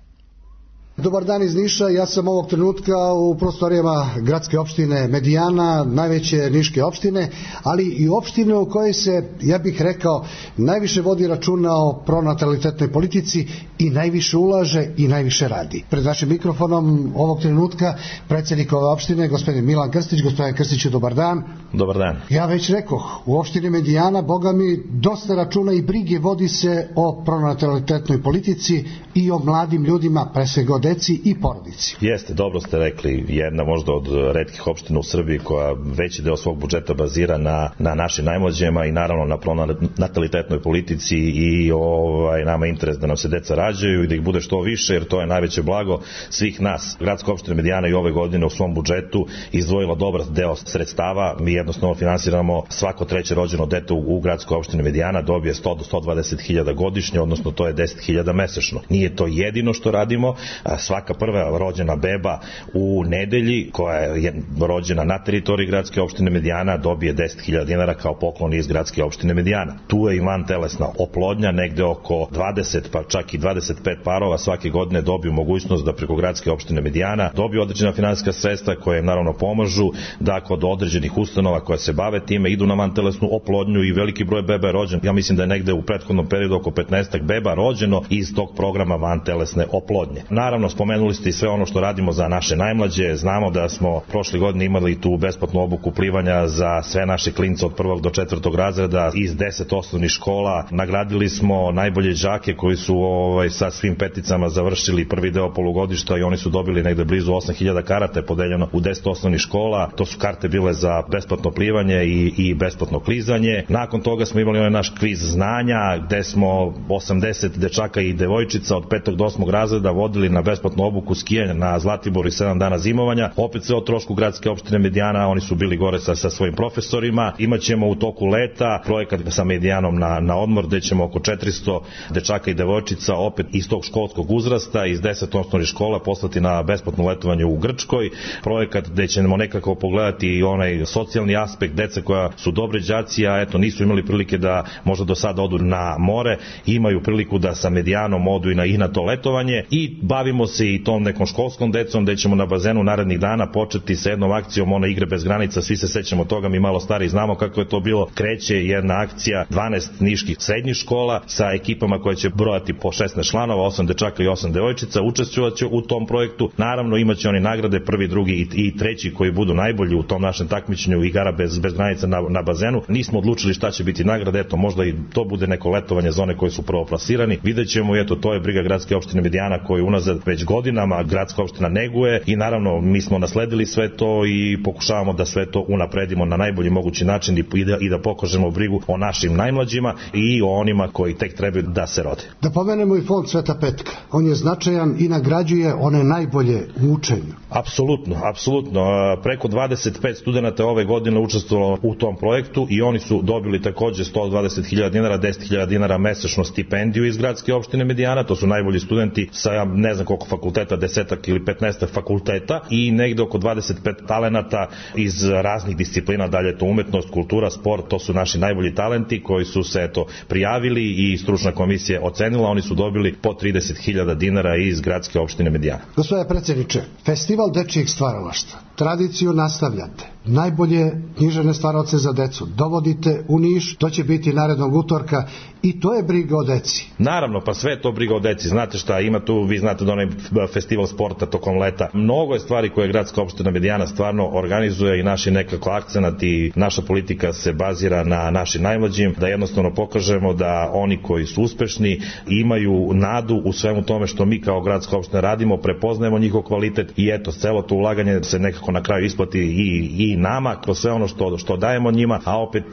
Dobar dan iz Niša, ja sam ovog trenutka u prostorijama gradske opštine Medijana, najveće niške opštine, ali i opštine u kojoj se, ja bih rekao, najviše vodi računa o pronatalitetnoj politici i najviše ulaže i najviše radi. Pred našim mikrofonom ovog trenutka predsjednik ove opštine, gospodin Milan Krstić. Gospodin Krstiću, dobar dan. Dobar dan. Ja već rekoh, u opštini Medijana, boga mi, dosta računa i brige vodi se o pronatalitetnoj politici i o mladim ljudima, pre svega o deci i porodici. Jeste, dobro ste rekli, jedna možda od retkih opština u Srbiji koja veći deo svog budžeta bazira na, na našim najmlađima i naravno na pronatalitetnoj politici i ovaj, nama interes da nam se deca rađaju i da ih bude što više, jer to je najveće blago svih nas. Gradska opština Medijana i ove godine u svom budžetu izdvojila dobar deo sredstava. Mi jednostavno finansiramo svako treće rođeno dete u, u gradskoj opštini Medijana, dobije sto do sto dvadeset hiljada godišnje, odnosno to je deset hiljada mesečno. Nije to jedino što radimo. Svaka prva rođena beba u nedelji koja je rođena na teritoriji gradske opštine Medijana dobije deset hiljada dinara kao poklon iz gradske opštine Medijana. Tu je i vantelesna oplodnja, negde oko dvadeset pa čak i dvadeset pet parova svake godine dobiju mogućnost da preko gradske opštine Medijana dobiju određena finansijska sredstva koje im naravno pomažu da kod određenih ustanova koja se bave time idu na vantelesnu oplodnju i veliki broj beba je rođen. Ja mislim da je negde u prethodnom periodu oko petnaest beba rođeno iz tog programa vantelesne oplodnje. Naravno naravno spomenuli ste i sve ono što radimo za naše najmlađe. Znamo da smo prošle godine imali tu besplatnu obuku plivanja za sve naše klince od prvog do četvrtog razreda iz deset osnovnih škola. Nagradili smo najbolje đake koji su ovaj, sa svim peticama završili prvi deo polugodišta i oni su dobili negde blizu osam hiljada karata podeljeno u deset osnovnih škola. To su karte bile za besplatno plivanje i, i besplatno klizanje. Nakon toga smo imali onaj naš kviz znanja gde smo osamdeset dečaka i devojčica od petog do osmog razreda vodili na besplatnu obuku skijanja na Zlatiboru i sedam dana zimovanja. Opet sve o trošku gradske opštine Medijana, oni su bili gore sa, sa svojim profesorima. Imaćemo u toku leta projekat sa Medijanom na, na odmor gde ćemo oko četiristo dečaka i devojčica opet iz tog školskog uzrasta, iz deset osnovnih škola poslati na besplatno letovanje u Grčkoj. Projekat gde ćemo nekako pogledati i onaj socijalni aspekt dece koja su dobre đaci, a eto nisu imali prilike da možda do sada odu na more, imaju priliku da sa Medijanom odu i na, i na to letovanje i bavimo se i tom nekom školskom decom gde ćemo na bazenu narednih dana početi sa jednom akcijom one igre bez granica, svi se sećamo toga, mi malo stari znamo kako je to bilo. Kreće jedna akcija dvanaest niških srednjih škola sa ekipama koje će brojati po šesnaest članova, osam dečaka i osam devojčica, učestvovaće u tom projektu. Naravno imaće oni nagrade prvi, drugi i, i treći koji budu najbolji u tom našem takmičenju igara bez, bez granica na, na bazenu. Nismo odlučili šta će biti nagrade, eto možda i to bude neko letovanje za one koji su prvoplasirani. Videćemo, eto to je briga gradske opštine Medijana koju unazad već godinama gradska opština neguje i naravno mi smo nasledili sve to i pokušavamo da sve to unapredimo na najbolji mogući način i da, i da pokažemo brigu o našim najmlađima i o onima koji tek trebaju da se rode. Da pomenemo i fond Sveta Petka. On je značajan i nagrađuje one najbolje u učenju. Apsolutno, apsolutno. Preko dvadeset pet studenata ove godine učestvovalo u tom projektu i oni su dobili takođe sto dvadeset hiljada dinara, deset hiljada dinara mesečno stipendiju iz gradske opštine Medijana. To su najbolji studenti sa ne znam koliko fakulteta, desetak ili petnaestak fakulteta i negde oko dvadeset pet talenata iz raznih disciplina, dalje to umetnost, kultura, sport, to su naši najbolji talenti koji su se eto prijavili i stručna komisija ocenila, oni su dobili po trideset hiljada dinara iz gradske opštine Medijana. Gospodine predsjedniče, Festival dečijeg stvaralaštva, tradiciju nastavljate, najbolje književne stvaravce za decu dovodite u Niš, to će biti narednog utorka i to je briga o deci. Naravno, pa sve je to briga o deci. Znate šta, ima tu, vi znate da onaj festival sporta tokom leta. Mnogo je stvari koje gradska opština Medijana stvarno organizuje i naši nekako akcenat i naša politika se bazira na našim najmlađim, da jednostavno pokažemo da oni koji su uspešni imaju nadu u svemu tome što mi kao gradska opština radimo, prepoznajemo njihov kvalitet i eto, celo to ulaganje se nekako na kraju isplati i, i nama kroz sve ono što, što dajemo njima, a opet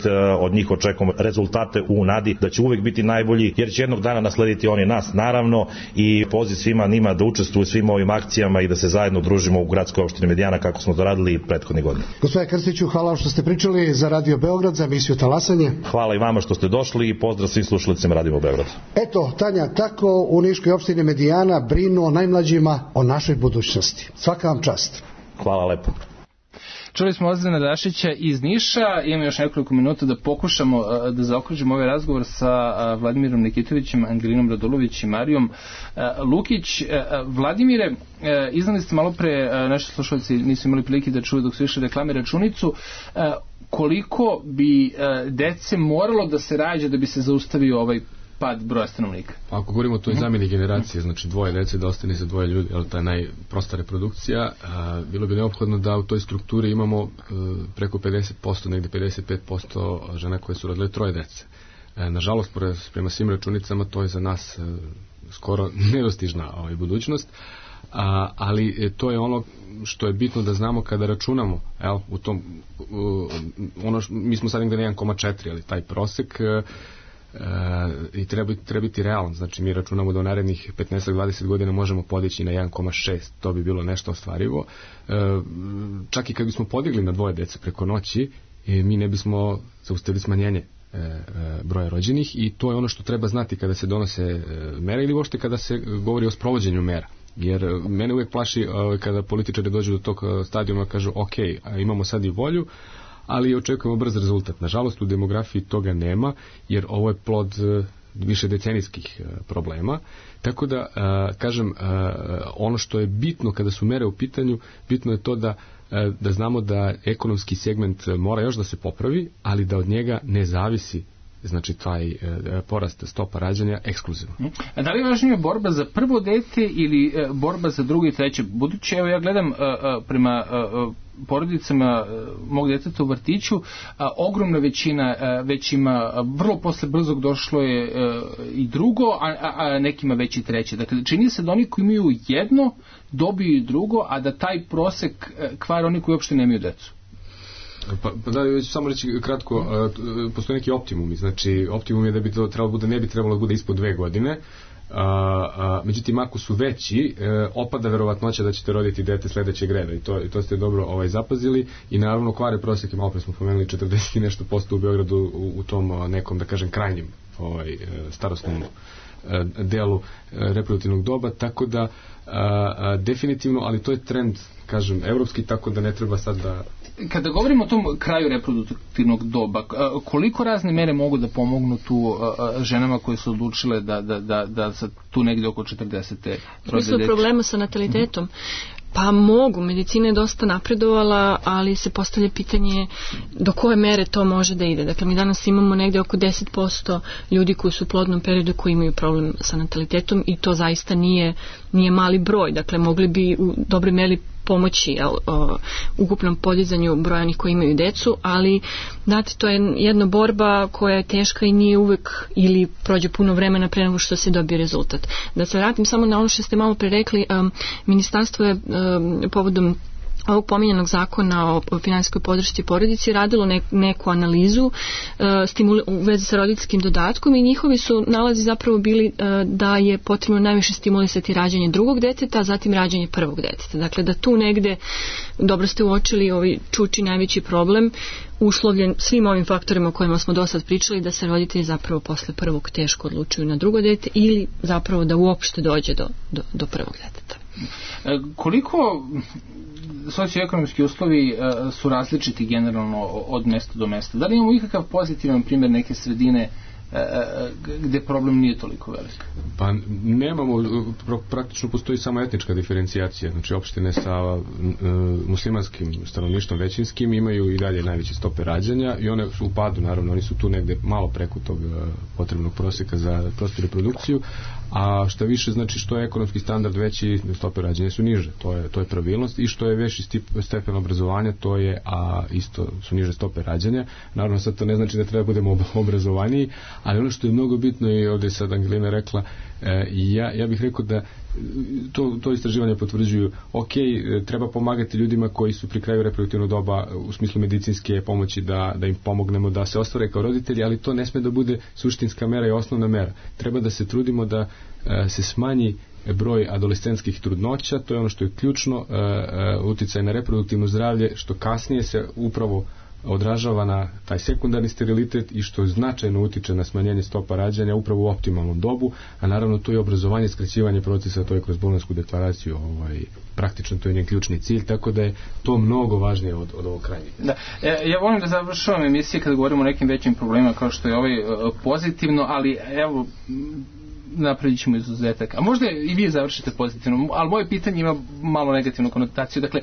od njih očekujemo rezultate u nadi da će uvek biti najbolji, jer će jednog dana naslediti oni nas, naravno, i poziv svima njima da učestvuju svim ovim akcijama i da se zajedno družimo u gradskoj opštini Medijana kako smo to radili prethodne godine. Gospodine Krstiću, hvala što ste pričali za Radio Beograd, za emisiju Talasanje. Hvala i vama što ste došli i pozdrav svim slušalicima Radio Beograd. Eto, Tanja, tako u Niškoj opštini Medijana brinu o najmlađima, o našoj budućnosti. Svaka vam čast. Hvala lepo. Čuli smo Ozrena Dašića iz Niša, imamo još nekoliko minuta da pokušamo da zaokružimo ovaj razgovor sa Vladimirom Nikitovićem, Angelinom Radulović i Marijom Lukić. Vladimire, iznali ste malo pre, naši slušalci nisu imali prilike da čuju dok su išli reklame računicu, koliko bi dece moralo da se rađa da bi se zaustavio ovaj pad broja stanovnika? Ako govorimo o toj zamjeni generacije, znači dvoje dece da ostane za dvoje ljudi, ali ta je najprosta reprodukcija, a, bilo bi neophodno da u toj strukturi imamo a, preko pedeset posto, negde pedeset pet posto žena koje su rodile troje dece. A, nažalost, prema svim računicama, to je za nas a, skoro nedostižna ovaj, budućnost, a, ali to je ono što je bitno da znamo kada računamo, el, u tom, u, ono, š, mi smo sad negde na jedan zarez četiri, ali taj prosek a, Uh, i treba, treba biti realan, znači mi računamo da u narednih petnaest do dvadeset godina možemo podići na jedan zarez šest, to bi bilo nešto ostvarivo. Uh, čak i kad bismo podigli na dvoje dece preko noći, e, mi ne bismo zaustavili smanjenje e, e, broja rođenih i to je ono što treba znati kada se donose e, mere ili uopšte kada se govori o sprovođenju mera. Jer mene uvijek plaši e, kada političari dođu do tog stadijuma kažu ok, imamo sad i volju, ali očekujemo brz rezultat. Nažalost, u demografiji toga nema, jer ovo je plod više decenijskih problema. Tako da, kažem, ono što je bitno kada su mere u pitanju, bitno je to da, da znamo da ekonomski segment mora još da se popravi, ali da od njega ne zavisi znači taj porast stopa rađanja ekskluzivno. A da li je važnija borba za prvo dete ili borba za drugo i treće? Budući, evo ja gledam prema porodicama mog djeteta u vrtiću, a, ogromna većina a, već ima, a, vrlo posle brzog došlo je a, i drugo, a, a, a nekima već i treće. Dakle, čini se da oni koji imaju jedno dobiju i drugo, a da taj prosek kvar oni koji uopšte nemaju decu. Pa, pa da, već samo reći kratko, a, postoje neki optimumi, znači optimum je da bi to trebalo bude, ne bi trebalo da bude ispod dve godine, A, a, međutim ako su veći e, opada verovatnoća da ćete roditi dete sledećeg reda i to, i to ste dobro ovaj, zapazili i naravno kvare prosjeke, malo pre smo pomenuli četrdeset i nešto posto u Beogradu u, u tom a, nekom da kažem krajnjem ovaj, starostnom a, delu a, reproduktivnog doba, tako da a, a, definitivno, ali to je trend kažem evropski, tako da ne treba sad da... Kada govorimo o tom kraju reproduktivnog doba, koliko razne mere mogu da pomognu tu ženama koje su odlučile da, da, da, da sa tu negdje oko četrdesete rode dete? Problema sa natalitetom. Pa mogu, medicina je dosta napredovala, ali se postavlja pitanje do koje mere to može da ide. Dakle, mi danas imamo negdje oko deset posto ljudi koji su u plodnom periodu koji imaju problem sa natalitetom i to zaista nije, nije mali broj. Dakle, mogli bi u dobroj meri pomoći jel, o, ukupnom podizanju broja onih koji imaju decu, ali znate, to je jedna borba koja je teška i nije uvek ili prođe puno vremena pre nego što se dobije rezultat. Da se vratim samo na ono što ste malo pre rekli, um, ministarstvo je um, povodom ovog pominjanog zakona o finansijskoj podršci porodici radilo ne, neku analizu uh, stimuli, u vezi sa roditeljskim dodatkom i njihovi su nalazi zapravo bili uh, da je potrebno najviše stimulisati rađanje drugog deteta, a zatim rađanje prvog deteta. Dakle, da tu negde, dobro ste uočili, ovaj čuči najveći problem uslovljen svim ovim faktorima o kojima smo do sad pričali, da se roditelji zapravo posle prvog teško odlučuju na drugo dete ili zapravo da uopšte dođe do, do, do prvog deteta. E, koliko socioekonomski uslovi uh, su različiti generalno od mesta do mesta? Da li imamo ikakav pozitivan primjer neke sredine uh, gde problem nije toliko velik? Pa nemamo, praktično postoji samo etnička diferencijacija, znači opštine sa uh, muslimanskim stanovništvom većinskim imaju i dalje najveće stope rađanja i one su u padu, naravno, oni su tu negde malo preko tog uh, potrebnog prosjeka za prostu reprodukciju, a šta više, znači što je ekonomski standard veći, stope rađanja su niže, to je, to je pravilnost, i što je veći stepen obrazovanja, to je, a isto su niže stope rađanja. Naravno, sad to ne znači da treba budemo obrazovaniji, ali ono što je mnogo bitno, i ovdje sad Angelina rekla, e, ja, ja bih rekao da to, to istraživanje potvrđuju, ok, treba pomagati ljudima koji su pri kraju reproduktivnog doba u smislu medicinske pomoći, da, da im pomognemo da se ostvare kao roditelji, ali to ne sme da bude suštinska mera i osnovna mera. Treba da se trudimo da e, se smanji broj adolescentskih trudnoća, to je ono što je ključno, e, e, uticaj na reproduktivno zdravlje, što kasnije se upravo odražava na taj sekundarni sterilitet i što značajno utiče na smanjenje stopa rađanja upravo u optimalnom dobu, a naravno to je obrazovanje, skraćivanje procesa, to je kroz Bolonjsku deklaraciju, ovaj, praktično to je njen ključni cilj, tako da je to mnogo važnije od, od ovog krajnjeg. Da. Ja, ja volim da završavam emisije kada govorimo o nekim većim problemima kao što je ovaj pozitivno, ali evo napravit ćemo izuzetak. A možda i vi završite pozitivno, ali moje pitanje ima malo negativnu konotaciju. Dakle,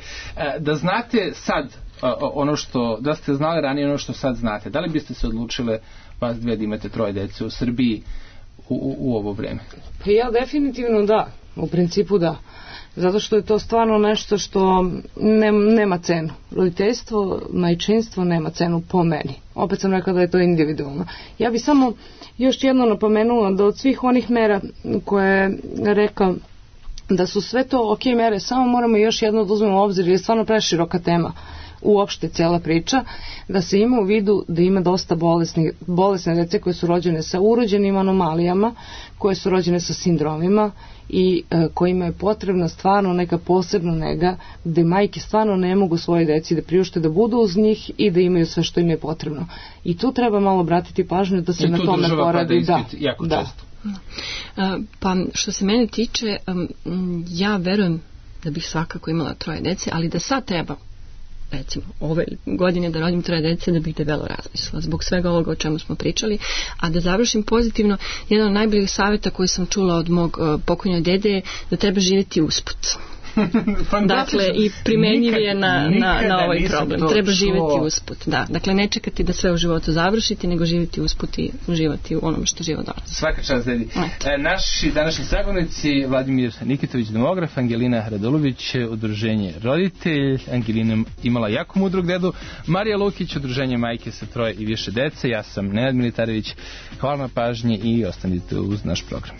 da znate sad ono što, da ste znali ranije ono što sad znate, da li biste se odlučile vas dve da imate troje dece u Srbiji u, u, u ovo vreme? Pa ja definitivno da, u principu da. Zato što je to stvarno nešto što ne, nema cenu. Roditeljstvo, majčinstvo nema cenu po meni. Opet sam rekla da je to individualno. Ja bi samo još jedno napomenula da od svih onih mera koje je rekao da su sve to ok mere, samo moramo još jedno da uzmemo u obzir, jer je stvarno preširoka tema uopšte cijela priča, da se ima u vidu da ima dosta bolesni, bolesne dece koje su rođene sa urođenim anomalijama, koje su rođene sa sindromima i e, kojima je potrebna stvarno neka posebna nega, gde majke stvarno ne mogu svoje deci da priušte da budu uz njih i da imaju sve što im je potrebno. I tu treba malo obratiti pažnju da se I na tome poradi. Da, jako da. Često. Pa što se mene tiče, ja verujem da bih svakako imala troje dece, ali da sad treba recimo ove godine da rodim troje dece, da bih debelo razmislila zbog svega ovoga o čemu smo pričali. A da završim pozitivno, jedan od najboljih savjeta koji sam čula od mog uh, pokojnog dede je da treba živjeti usput. Dakle, i primenjiv je na, na, na ovaj problem. Treba živjeti usput. Da. Dakle, ne čekati da sve u životu završiti, nego živjeti usput i uživati u onome što život donosi. Svaka čast, dedi. E, naši današnji sagovornici, Vladimir Nikitović, demograf, Angelina Radulović, udruženje Roditelj, Angelina imala jako mudrog dedu, Marija Lukić, udruženje Majke sa troje i više dece, ja sam Nenad Militarević, hvala na pažnji i ostanite uz naš program.